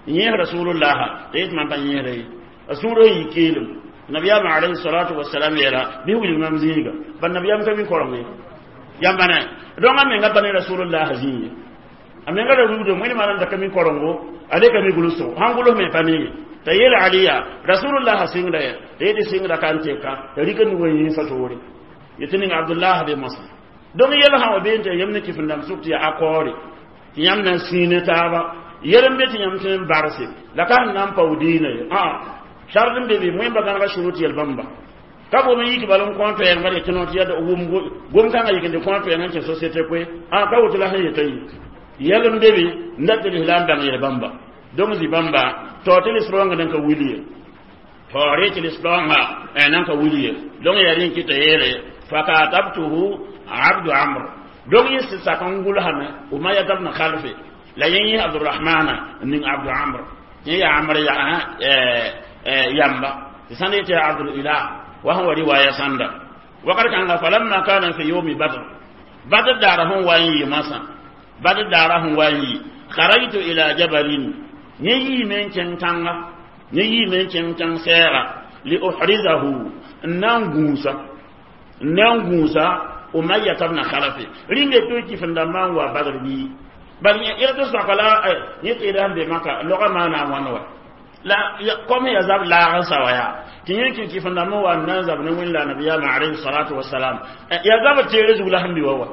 yẽes rasulullah t'a yetɩ mam pa yẽesda ye a sũurã yik keelem nabiyaam alayhi salatu wasalam yeela bɩ wilg mam zĩiga bal nabiyaam ka mi koreng ye yãmba ne donc a menga pa ne rasulullah zĩig ye a menga ra rugdo wẽnd maana da ka mi korengo a le ka mi gʋlsgo sãn gʋls me pa ne ye t'a yeel aliya rasulullah sɩngda ye t'a yetɩ sɩngda ka n teka t'a rɩka nugã yĩnsã toore yetɩ ning abdullah be mosã donc yɛl sã wa bee n tɩ yãmb ne kɩf n dãmb sʋk tɩ yaa akɔɔre tɩ yãmb na n sĩine taaba yɛl n be tɩ yãmb tõe n barse la ka sẽn na n pao diinã ye sard n be be wẽmba gãnega surut yɛl bãmba ka gom n yik bal n kõ toɛɛngã yetɩ no tɩ yaa wʋm gom kãngã yik n dɩ kõ toɛɛngã n kẽ société koe a ka woto la sẽn yetã yi yɛl n be be n dat tɩ lislaam bãng yɛl bãmba donc zĩ bãmba tao tɩ lisrõngã nan ka wil ye taoore tɩ lisrõngã nan ka wil ye donc yaa rẽ kɩta yeele fakatabtuhu abdu amr donc yẽ sɩd sak n gʋlsame umayat bn khalfe la yẽ yẽ abdurahmana n ning abdu amr yẽ yaa amr yamba tɩ sãn yetɩ yaa abdul ilah wa sẽn wa riwaya sãnda wakat kãnga falamma kana fi yawmi badr Badr daara sẽn wa n yɩ masã Badr daara sẽn wa n yɩ kharajtu ila jabalin yẽ yiime n kẽng tãnga yẽ yiime n kẽng tãng sɛɛga li uhrizahu n na n gũusa n na n gũusa Umayya ibn Khalaf ringe to kifin dãmbã n wa Badr bii bal yẽ tɩ soaka la yẽ tɩ sẽn be maka loga maana wãn wa la comme ya zab laag n sa wa yaa tɩ yẽ kẽ kifin dãmb wa n na n zab ne wẽnd la nabiyaamã alayhi salatu wasalam ya zab teere zug la sẽn bi wa wa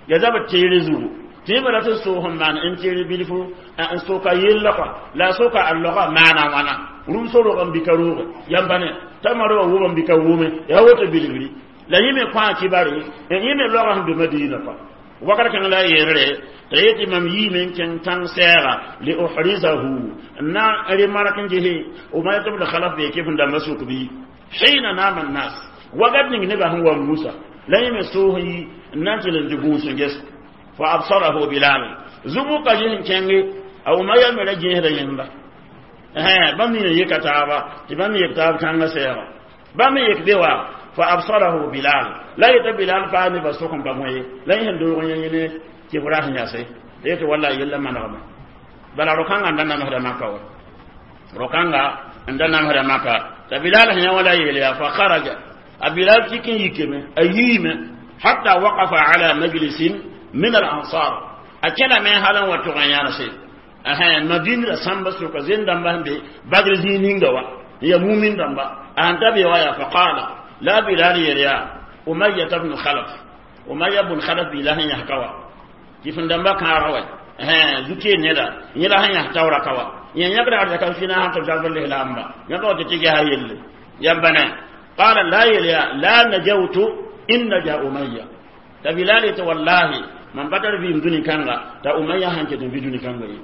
ya zab teere zugu tɩ yẽ bala tɩ soos n maan n teere bilfu n soka yella kɔa la a soka a loga maana wãna rũm so-rog n bɩ ka rooge yãmba ne tamaro wa wʋm n bɩ ka wʋme yaa woto bilgri la yẽ me kõ a kibare yẽ me loga sẽn be Madina kɔa wakat kãng la a yeelre t'a yetɩ mam yiime n kẽng tãng sɛɛga li uhrizahu n na n remark n gese Umayya ibn Khalaf bee kɩf n dãmbã sʋk bɩ hina nama nnas wakat ning nebã sẽn wa musa la yẽ me soos n yi n na n tɩl n tɩ gũus n ges fa absarahu Bilal zubu ka ges n kẽnge a Umayya me ra gẽesda yẽnda bãmb nina yeka taaba tɩ bãmb yek taab tãngã sɛɛga bãmb yek be wa fa absarahu Bilal la yeta Bilal paa nebã sʋk n pa wẽ ye la yẽ sẽn doog yẽ yẽne kɩbra sẽn yase yetɩ walla yella manegme bala ro-kãngã n da namsda maka wa ro-kãnga n da namsda maka t'a Bilal sẽn yã wã la yeel yaa fa kharaja a Bilal tik n yikame a yiime hatta waqafa ala majlisin min al ansar a kẽname hal n wa tʋg n yãnse Madina la sãmba sʋka zẽn dãmba sẽn be Badr zĩig ninga wa n ya mumin dãmba a sẽn ta be wa yaa fa qala la Bilal yeel yaa Umayya ibn Khalaf Umayya bn Khalaf bila sẽn yãs ka wa kɩf dãmba kãaga wa zu-keen neda yẽ la sẽn yãs taoora ka wa yẽ yãkda arzaka fina sãn tɩ b zabr lislaamba yãka wa tɩ tɩ gesa yelle yãmba ne qala la yeel yaa la najawtu in naja Umayya t'a Bilal yetɩ wallahi mam pa tar vɩɩm dũni kãnga t'a Umayya sãn ket n vɩ dũni kãnga ye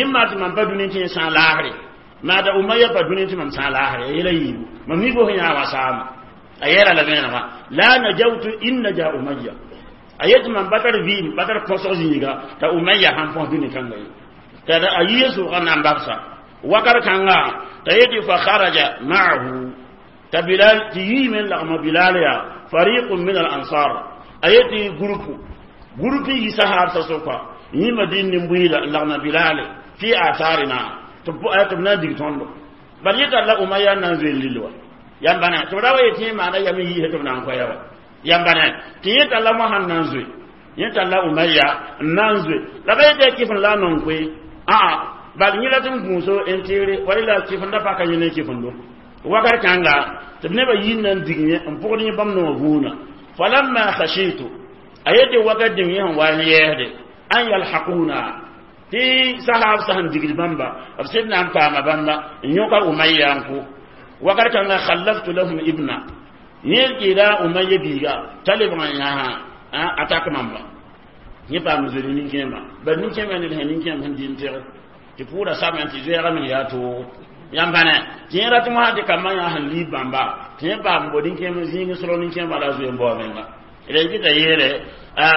ĩmma tɩ mam pa dũni tɩ yẽ sã laasre maa t'a Umayya pa dũni tɩ mam sã laasre a yela yiibu mam mi-fo sẽn yã wa saama a yeela la vẽenega la najawtu in naja Umayya a yetɩ mam pa tar vɩɩm pa tar põsg zĩiga t'a Umayya sãn põs dũni kãnga ye t'a a yɩ sʋʋga na n babsa wakat kãnga t'a yetɩ fa kharaja ma'ahu t'a Bilal tɩ yiime n lagma Bilal yaa fariqun min al ansar a yetɩ groupe groupe yi sahaabsã sʋka yẽ Madin nin-buiida n lagma Bilal fi atharina tɩ b na n dig tõndo bal yẽ tall la Umayya n na n zoe lil wa yãmba ne tɩ b ra wa yetɩ yẽ maana yam n yiisã tɩ b na n koɛɛ wa yãmba ne tɩ yẽ tall la mosã n na n zoe yẽ tall la Umayya n na n zoe la ba yetɩ kɩf n la a nong koe aa bal yẽ la tɩ n gũuso n teere wa rela kɩf n da paka yẽ ne kɩfendo wakat kãnga tɩ b nebã yii n na n dig yẽ n pʋgd yẽ bãmb noog vũuna falamma khashitu a yetɩ wakat dĩng yẽ sẽn wa n yɛɛsde an yalhaquna tɩ sahaab sã sẽn digd bãmba b sẽd na n paama bãmba n yõka Umayya n kʋ wakat kãnga khallaftu lahum ibna yẽ kɩɩda Umayya biiga t'a lebg n yãsã a tak mamba yẽ paam zoe ne nin-kẽemã bal nin-kẽemã ned sẽn nin-kẽem sẽn dɩ n teg tɩ pʋʋra samẽ tɩ zoɛɛga meng yaa toogo yãmba ne tɩ yẽ rat mosã tɩ kambã yã sẽn liib bãmba tɩ yẽ paam bo nin-kẽem zĩig srog nin-kẽemã la a zoe n bao menga d kɩta yeele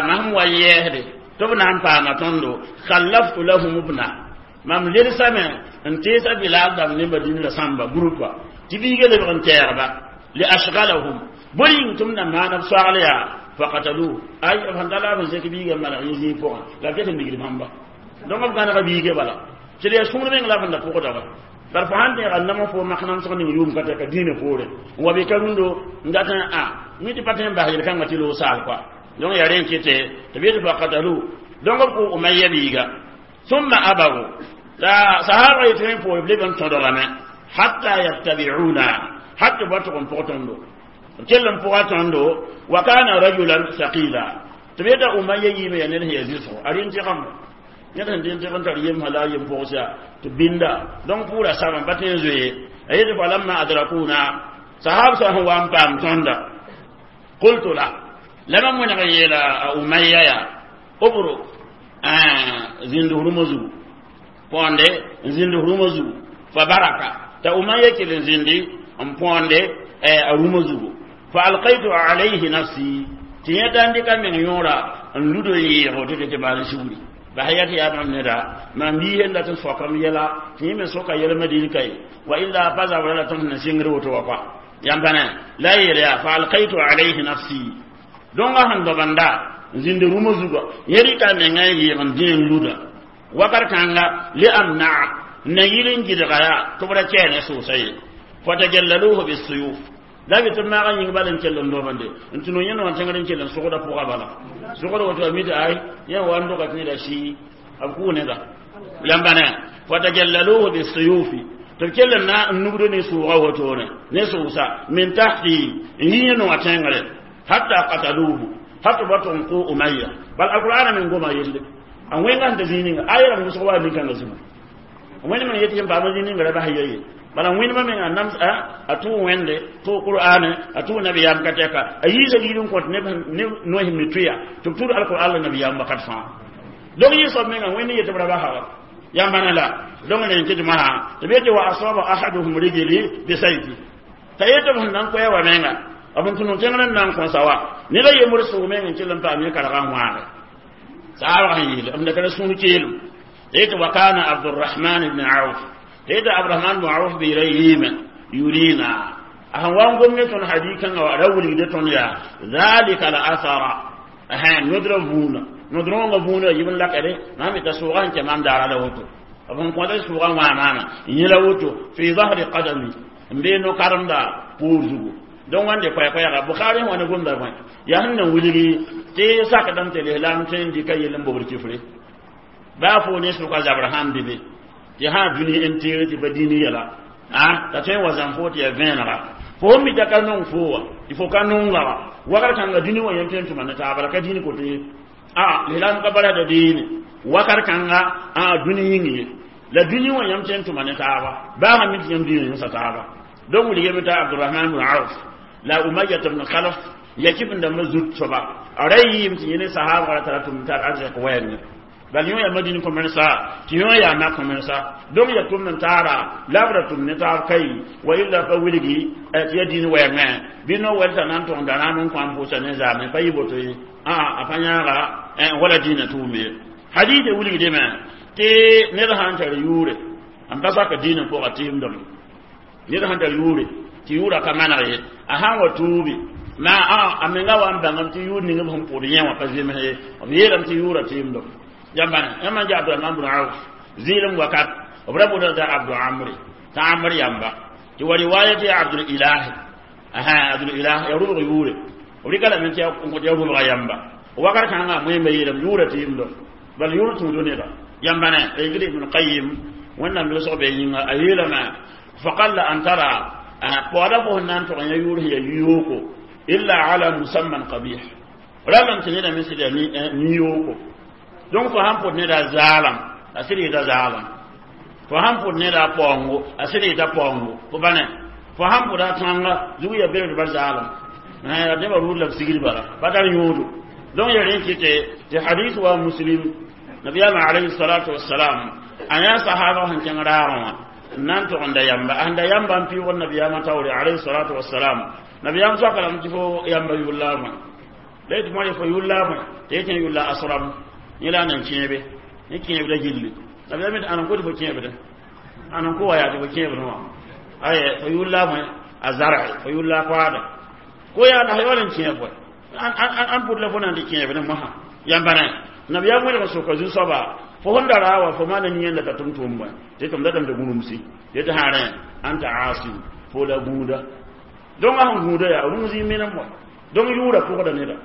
mam wa yɛɛsde tɩ b na n paama tõndo khallaftu lahum ibna mam ledsame n teesa Bilal dãmb ne Madina la sãmba groupa tɩ biiga lebg n tɛɛgba li ashgalahum bõe yĩng tɩ m na maana b soagl yaa faqataluhu ay b sẽn ta la b sẽn sek biiga n maneg yẽ zĩig pʋgẽ la b ket n digd bãmba donc b gãnega biiga bala tɩ d yaa sũur meng la b sẽn da pʋgda wa bar fo sãn tẽega nam fo mak namsg ning yʋʋm ka tɛka dĩinã poore n wa be ka rũndo n dat n a mi tɩ pa tõe n bas yel-kãngã tɩ loog saal koa donc yaa rẽ n kɩte tɩ b yetɩ faqataluhu donc b kʋ Umayya biiga thumma abaw la sahaba yetɩ rẽ poore b leb n tõdgame hatta yattabi'una hatta b wa tʋg n pʋg tõndo b kell n pʋga tõndo wa kana rajulan thaqila tɩ b yeta Umayya yiime yaa ned sẽn yaa zɩsgo a rɩ n tɩgame ned sẽn dɩ n tɩg n tar yemsã la a yem pʋgsa tɩ binda donc pʋʋra sabã pa tõe n zoe a yetɩ falamma adrakuna sahab sã sẽn wa n paam tõnda qultu la la mam wẽneg n yeela a Umayya yaa ubruk zĩnd rũmã zugu põonde n zĩnd rũmã zugu fa baraka t'a Umayya kell n zĩndi n põonde a rũmã zugu fa alqaytu alayhi nafsi tɩ yẽ da n dɩka meng yõora n lud n yɩɩgo tɩ tɩ maan sugri bas ya tɩ yaa bãmb neda mam biis n dat n soakam yɛla tɩ yẽ me soka yɛl Madin ka ye wa illa pa zabra la tõnd sẽn sɩngr woto wa kɔa yãmb pa ne la a yeel yaa fa alqaytu alayhi nafsi dõngã sẽn dobenda Zĩnd rũmã zuga yẽ rɩka a menga n yɩɩg n dẽ n luda wakat kãnga le amnaa n na yɩl n gɩdga yaa tɩ b ra kɛɛ ne sʋʋsa ye fatajallaluhu bisuyuf la bɩ tɩ b maag n yĩng bal n kell n dobende n tɩ no yẽnd wã tẽngr n kell n sʋgda pʋga bala sʋgd woto a mita ay yẽ wa n doga tɩ neda sii b kʋʋ neda yãmba ne fatajallaluhu bisuyufi tɩ b kell n na n nugd ne sʋʋga wotone ne sʋʋsa min tahti n yi yẽnd wã tẽngre hatta qataluhu hatta b wa tʋg n kʋ umayya bal alqur'ana men goma yelle a wẽnga sẽn t'a zĩig ninga a yeelame wʋsg wa nin-kãngã zĩma wẽnd meng yetɩ yẽ paama zĩig ninga ra bas ye bala wẽndmã menga nams a tʋʋ wẽnde tʋʋ qur'ane a tʋʋ nabiyaam ka tɛka a yiisa giid n kõt neb noes mi tʋya tɩ b tʋd alqur'an la nabiyaam wakat fãa donc yɩ soab menga wẽnd yetɩ b ra basa wa yãmba la donc ne tɩ masã tɩ b yetɩ wa asaba ahaduhum rijli bisayfi t'a yetɩ b sẽn na n koɛɛ wa menga b n tũ tẽngr n na n kõsa wa ned a yembr sʋʋg meng n kell n paam yẽ karga n wãage saabg sẽn yeele b da sũur keelem yetɩ wa kana abdurahman ibn auf tɩ abdurahman ibn auf beera yiime yurina a sẽn wa n gom ne tõnd hadikãngã wa ra wilgde tõnd yaa zalika la asara nodrã vũuna nodrõongã vũuna yib n lakɛde mam t'a sʋʋga sẽn kɛ maam daara la woto b sẽn kõta sʋʋga wã maama yẽ la woto fi zahri qadami n bee no-karemda poor zugu donc wãnde koɛ-koɛɛga bukhari sẽn wa ne gomda bõe yaa sẽn na wilgi tɩ sakdame tɩ lislaam tõe n dɩka yell n bobd kifre baa fo ne sʋka zabr sãn be be tɩ sã dũni n teere tɩ pa dĩini yɛla a t'a tõe n wa zãm fo tɩ yaa vẽenega fo sẽn mita ka nong fo wa tɩ fo ka nonga wa wakat kãnga dũni wã yẽm tõe n tʋma ne taaba la ka dĩin koto ye a lislaam ka barasda deene wakat kãnga a dũni yĩng ye la dũni wã yãmb tõe n tʋma ne taaba baa sã mi tɩ yãmb dĩinã yõsa taaba donc wilgame t'a abdurahman bn auf la umayya ibn khalaf ya kifin dãmba zut soaba a ra yɩɩm tɩ yẽ ne sahaabga ra tara tʋm tar arzɛk wɛɛngẽ bal yõ yaa madin kõ-mensa tɩ yõ yaa mak kõ-mensa donc ya tʋm n taara la b ra tʋm ne taab kai wa illa pa wilgi tɩ ya dĩin wɛɛngẽ bɩ no-wɛl t'a na n tʋgenda rãam n kõ n pʋʋsa ne zaame pa yɩ boto ye a pa yãaga wala dĩinã tʋʋm ye hadith wilgdame tɩ ned sã n tar yʋʋre n pa sak dĩinã pʋga tɩɩmdame ned sãn tar yʋʋre tɩ yʋʋra ka maneg ye a sãn wa tuubi ma a a menga wa n bãngame tɩ yʋʋr ning b sẽn pʋʋd yẽ wã pa zems ye b yeelame tɩ yʋʋra tɩɩmdame yãmba yãmb n ja abdurahman bn auf zɩɩlem wakat b ra boodda abdu amri t'a amr yamba tɩ wa riwaya tɩ ya abdul ilahi asa abdul ilah ya rʋbg yʋʋre b rɩka lame tɩ n kõ tɩ ya rʋbga yamba wakat kãngã moẽmba yeelame yʋʋra tɩɩmdo bal yʋʋr tũudo neda yãmba ne a ibn qayim wẽnnaam losg be yĩnga a yeelame faqalla an tara paoodã fo sẽn na n tʋg yã yʋʋr sẽn ya yooko illa ala musamman qabih ralam tɩ neda me sɩd ya ni-yooko donc fo sãn pʋd neda zaalam a sɩd yɩta zaalam fo sãn pʋd neda paoongo a sɩd yɩta paoongo fo ba ne fo sãn pʋda tãnga zug ya bered bar zaalam nebã rʋʋd la b sigd bala pa tar yõodo donc ya rẽ kɩtɛ tɩ hadis wa muslim nabiyaamã alayhi salatu wassalam a yã sahaba sẽn kẽng raagã wã n na n tʋgenda yamba a sẽn da yamba n pɩʋgd nabiyaamã taoore alayhi salatu wassalam nabiyaam soaka lame tɩ fo yamba yʋlla bõe la yetɩ moa fo yʋlla bõe tɩ yetɩ yʋlla asram yẽ la a nan kẽebe ne kẽebda gilli nabiyaam yetɩ ãn n kot fo kẽebdẽ ãn n kʋ wa yaa tɩ fo kẽebdẽ wã aye fo yʋlla bõe a zarɛ fo yʋlla koaada ko yaa la wala n kẽeb bõe an pʋd la fo na n tɩ kẽebdẽ mosã yãmba ne nabiyaam welg n soka zu-soaba fo sẽn da raa wa fo maana yẽnda t'a tʋm tʋʋm bõe tɩ tʋm datame tɩ gũrumsi tɩ sã rẽ anta asim fo la gũuda donc a sẽn gũuda yaa rũm zĩig menem wa donc yʋʋra pʋgda neda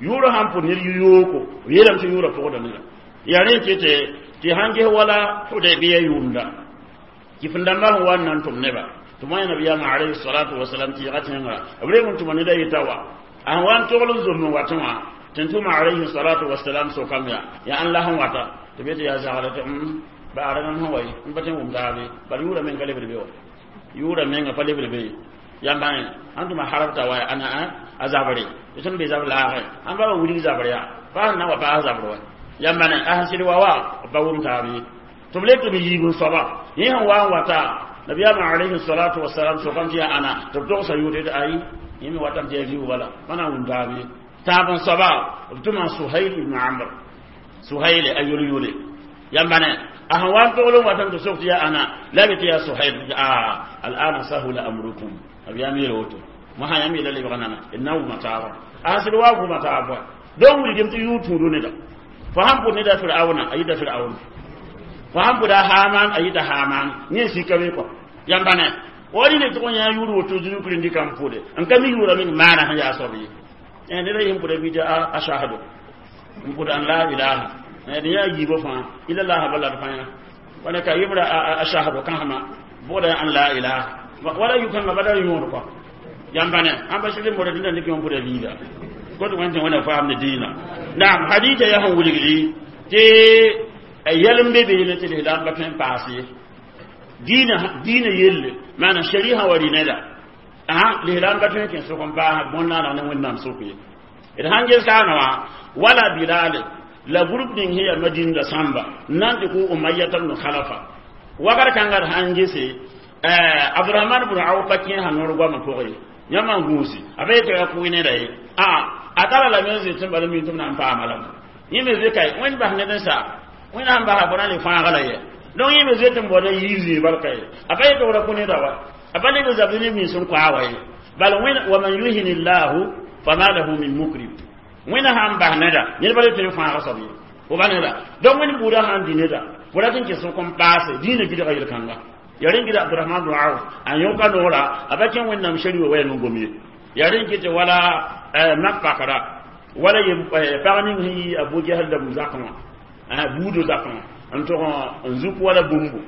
yʋʋra sãn pʋd ned yooko b yeelame tɩ yʋʋra pʋgda neda yaa rẽ kɩtɛ tɩ sãn ges wala hudaybiya yʋʋmda kɩf-n-dãmbã sẽn wa n na n tʋm neba tɩ moa nabiyaamã alayhi salatu wasalam tɩ yɛga tẽnga b reng n tʋma neda yeta wa a sẽn wa n togl n zomb n watẽ wã tɩ n tʋma alayhi salatu wasalam sokam yaa yaa ãn la sẽn wata tɩ be tɩ yaa zagre tɩ baara mam sẽn wa ye n pa tõe n wʋm taabe bal yʋʋra meng ka lebd be wa yʋʋra menga pa lebd be ye yãmba ãn tʋma harabta wa ana a zabre tɩ tõnd be zab laagẽ ãn ba wa wilg zabr yaa pa sẽn na wa paas zabr wa yãmba ne a sẽn sɩd wa wa b pa wʋm taab ye tɩ b le tɩ b yiib n soaba yẽ sẽn wa n wata nabiyaamã alayhi salatu wasalam sokame tɩ yaa ãna tɩ b togsa yʋʋr tɩ ayi yẽ me watame tɩ yaa viu bala pa na n wʋm taab ye tãab n soaba b tʋma suhail ibn amr suhail a yol-yole yãmba ne a sẽn wa n togl n watame tɩ sok tɩ yaa ãna la be tɩ yaa suhail a al'ana sahula amrukum b yaa yeel woto mosã yãmb yeela lebg nana d na n wʋma taaba a sẽn sɩd wa wʋma taab wa Don wuri tɩ yʋʋr tũudu neda fo sãn pʋd neda Firawna a yita Firaun, fo sãn pʋda Haman a yita Haman. Yẽ sika be kɔ yãmba ne wani ne tʋg n yã yʋʋr woto zũnu kirindi kam pʋde n ka mi yʋʋra meng maana sẽn yaa soab ye. Neda yẽ pʋda bɩ tɩ ashahadu n pʋd an la ilaha d yã yiibã fãa ila laha bala d fãa wala ka yebra ashahadu kãsema bʋgda an la ilaha wala yʋ-kãngã bala yõod kɔ yãmba ne ãn ba sɩd n bõda dĩnda dɩk yõ pʋda liiga kot wẽn tɩ wẽna faam ne dĩinã. Naam, hadita yaa sẽn wilgdi tɩ yɛl n be beene tɩ lislaam pa tõe n paas ye dĩinã dĩinã yelle maana shari'a wa rɩ neda a lislaam pa tõe n kẽ sʋk n paas bõn-naaneg ne Wẽnnaam sʋk ye. D sãn ges kaana wã wala Bilale la groupe ning sẽn yaa Madinda sãmba n na n tɩ kʋ Umayyata bnu Khalafa wakat kãnga d sãn gese Abdurahman bn Awf pa kẽ sã noor goamã pʋgẽ ye yãmb n gũusi a pa yetɩ ya kʋɩ neda ye a a tara lame n zĩ tɩ bala mi tɩ b na n paama lame yẽ me zoe kae Wẽnd bas ned n sa Wẽnd sãn basa fo na le fãaga la yɛ. Donc yẽ me zoe tɩ n baooda yiib zĩig barka ye a pa yetɩ ra kõ neda wa a pa leb zabd neb nins n koa wa ye bal Wẽnd wa man yuhin llahu fama lahu min mukrim. Wẽnd sãn bas neda ned pa le tõe n fãaga soab ye fo ba neda. Donc Wẽnd buudã sãn dĩ neda fo rat n kɩs n paase dĩinã gɩdga yel-kãnga ya rẽn gɩda Abdurahman bn Auf a yõka noora a pa kẽ Wẽnnaam shari wa wɛɛn n gom ye ya rẽn kɩ tɩ wala mak pakra wala pag ning sẽn yi Abu Jahal la bu-zakẽ wã buudã zakẽ wã n tʋg n zuk wala bũmbu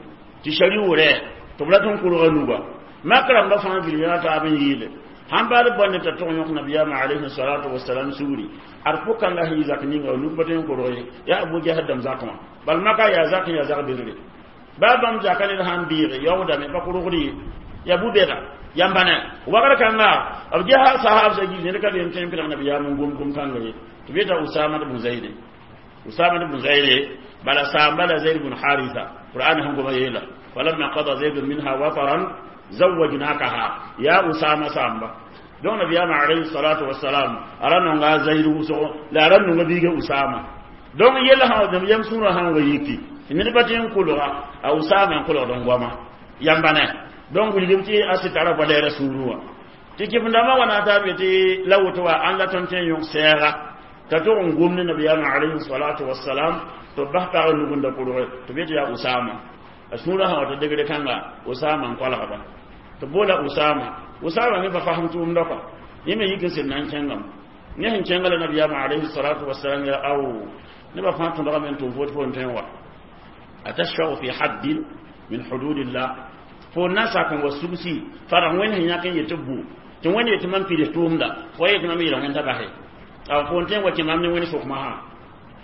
tɩ shari wʋrɛ tɩ b rat n kurga nuga mak rãmbã fãa vil yã taab n yɩɩle sãn baad bõne t'a tʋg yõk nabiyaamã alayhi salatu wasalam sugri ad pʋkãngã sẽn yɩ zak ninga nug pa tõe n korg ye yaa Abu Jahal dãmb zakẽ wã bal maka yaa zakẽ yaa zak bedre baa bãmb zaka ned sãn bɩɩge yaoodame pa korgd ye yaa bu-bɛda yãmba ne wagr kãnga b gesa sahab sa gil ned ka be n tõe n pɩlg nabiyaam n gom gom-kãnga ye tɩ b yeta Usama bn Zaide Usama bn Zaide bala saamba la Zaid bn Haritha Qur'an sẽn goma yeela falamma qada Zaidun minha wataran zawajnakaha ya Usama samba. Donc nabiyaam alayhi salatu wasalam a ra nonga Zaid wʋsgo la a ra nonga biiga Usama. Donc yella sã yam sũurã sãn wa yiki ned pa tɩ n kolga a Usama n kolgd n goama yãmba ne. Donc wilgem tɩ a sɩ tara valɛɛra sũurẽ wã tɩ kɩf-dãmbã wa na taab tɩ la woto wa ãn la tõnd tõe n yõk sɛɛga t'a tʋg n gom ne nabiyaamã alayhi salatu wasalam tɩ b bas pag nug n da kʋrge tɩ b yetɩ yaa Usama a sũurã sã wa t'a degre kãnga Usama n kolgba tɩ boola Usama. Usama me pa fasem tʋʋmda kɔa yẽ me yik n sɩd na n kẽngame yẽ sẽn kẽnga la nabiyaamã alayhi salatu wasalam ya aw nebã fãa tõdgame n tʋm fo tɩ fo n tõe n wa atashfau fi haddin min hududillah fo na sak n wa sugsi fara wẽnd sẽn yãk n yetɩ bu tɩ wẽnd yetɩ mam pids tʋʋmda fo yetɩ mam yeela wẽnda base a fo n tõe n wa kẽ mam ne wẽnd sʋkmã sã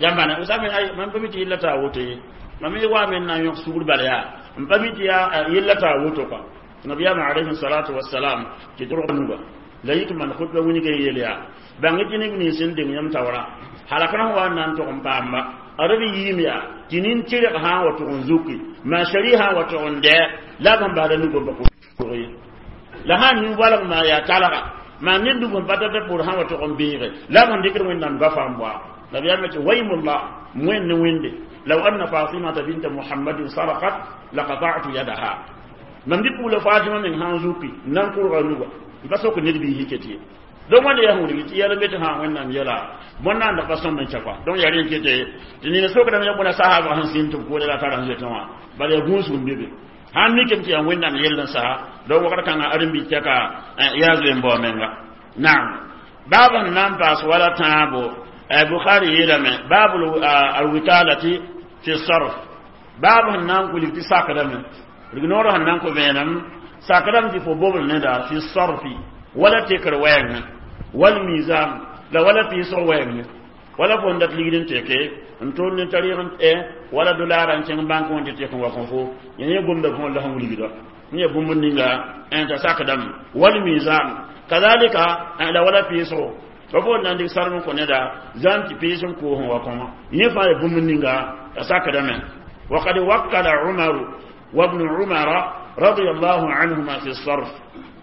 yãmba ne Usama ay mam pa mi tɩ yella t'a woto ye mam ye wa me n na n yõk sugr bala yaa n pa mi tɩ yaa yella t'a woto kɔa. Nabiyaamã alayhi salatu wasalam tɩ tʋrg nuga la yik man khutba wĩnga yeel yaa bãng tɩ neb nins n deng yãmb taoora halakr sẽn wa n na n tʋg n paamba a reb yiim yaa tɩ nin-tɩrg sã n wa tʋg n zuki maa shari sã n wa tʋg n dɛ la b sẽn basda nug n pa kʋrg ye la sãn nin-walg maa yaa talga maa ned nug n pa tata pʋr sã n wa tʋg n beege la b sẽn dɩkd Wẽnnaam gafa n boa nabiyaamã tɩ waymullah wẽnd ne wẽnde law anna Fatimata binta Muhammadin sarakat laqata'tu yadaha mam dɩ pugla Fatima meng sã n zuki n na n kʋrga nuga n pa sok ned biis yike tɩ ye. Donc wẽnda yaa sẽn wilg tɩ yɛl n be tɩ sã Wẽnnaam yɛla bõn-naanda pa sõm n kɛ kɔa. Donc yaa rẽn kete tɩ nina sokdame ya bõna sahaabg sẽn sĩnd tɩ b koode la tara sẽn zoetẽ wã bala yaa gũusg n be be sãn mikame tɩ yaa Wẽnnaam yell n sa. Donc wakat kãngã ãdem-biig tɛka yaa zoe n bao menga. Naam, baab sẽn na n paas wala tãabo Bukhari yeelame baab alwikalati fi sarf baab sẽn na n kulig tɩ sakdame rignoor sẽn na n kõ vẽenem sakdame tɩ fo bobl neda fi sarfi wala tekr wɛɛngẽ wal mizan la wala pɩɩsg wɛɛngẽ wala fo n dat ligd n teke n tʋʋl ne tarɩg n wala dolara n kẽng bãnk wã tɩ tek n wa kõ fo yẽ yẽ gomda fõ la sẽn wilgda n ya bũmb ninga n t'a sakdame wal mizan kazalika la wala pɩɩsgo fa fo n na n dɩk sarem n kõ neda zãn tɩ pɩɩs n koos n wa kõma yẽ fãa ya bũmb ninga t'a sakdame. وقد وكل عمر وابن عمر رضي الله عنهما في الصرف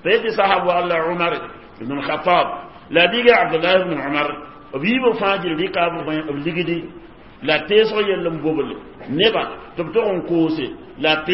فيدي صاحب الله عمر بن الخطاب لا بيجي عبد الله بن عمر بيبو فاجر ريكا بليغدي لا تيسو يلم بوبل نبا تبتون كوسي لا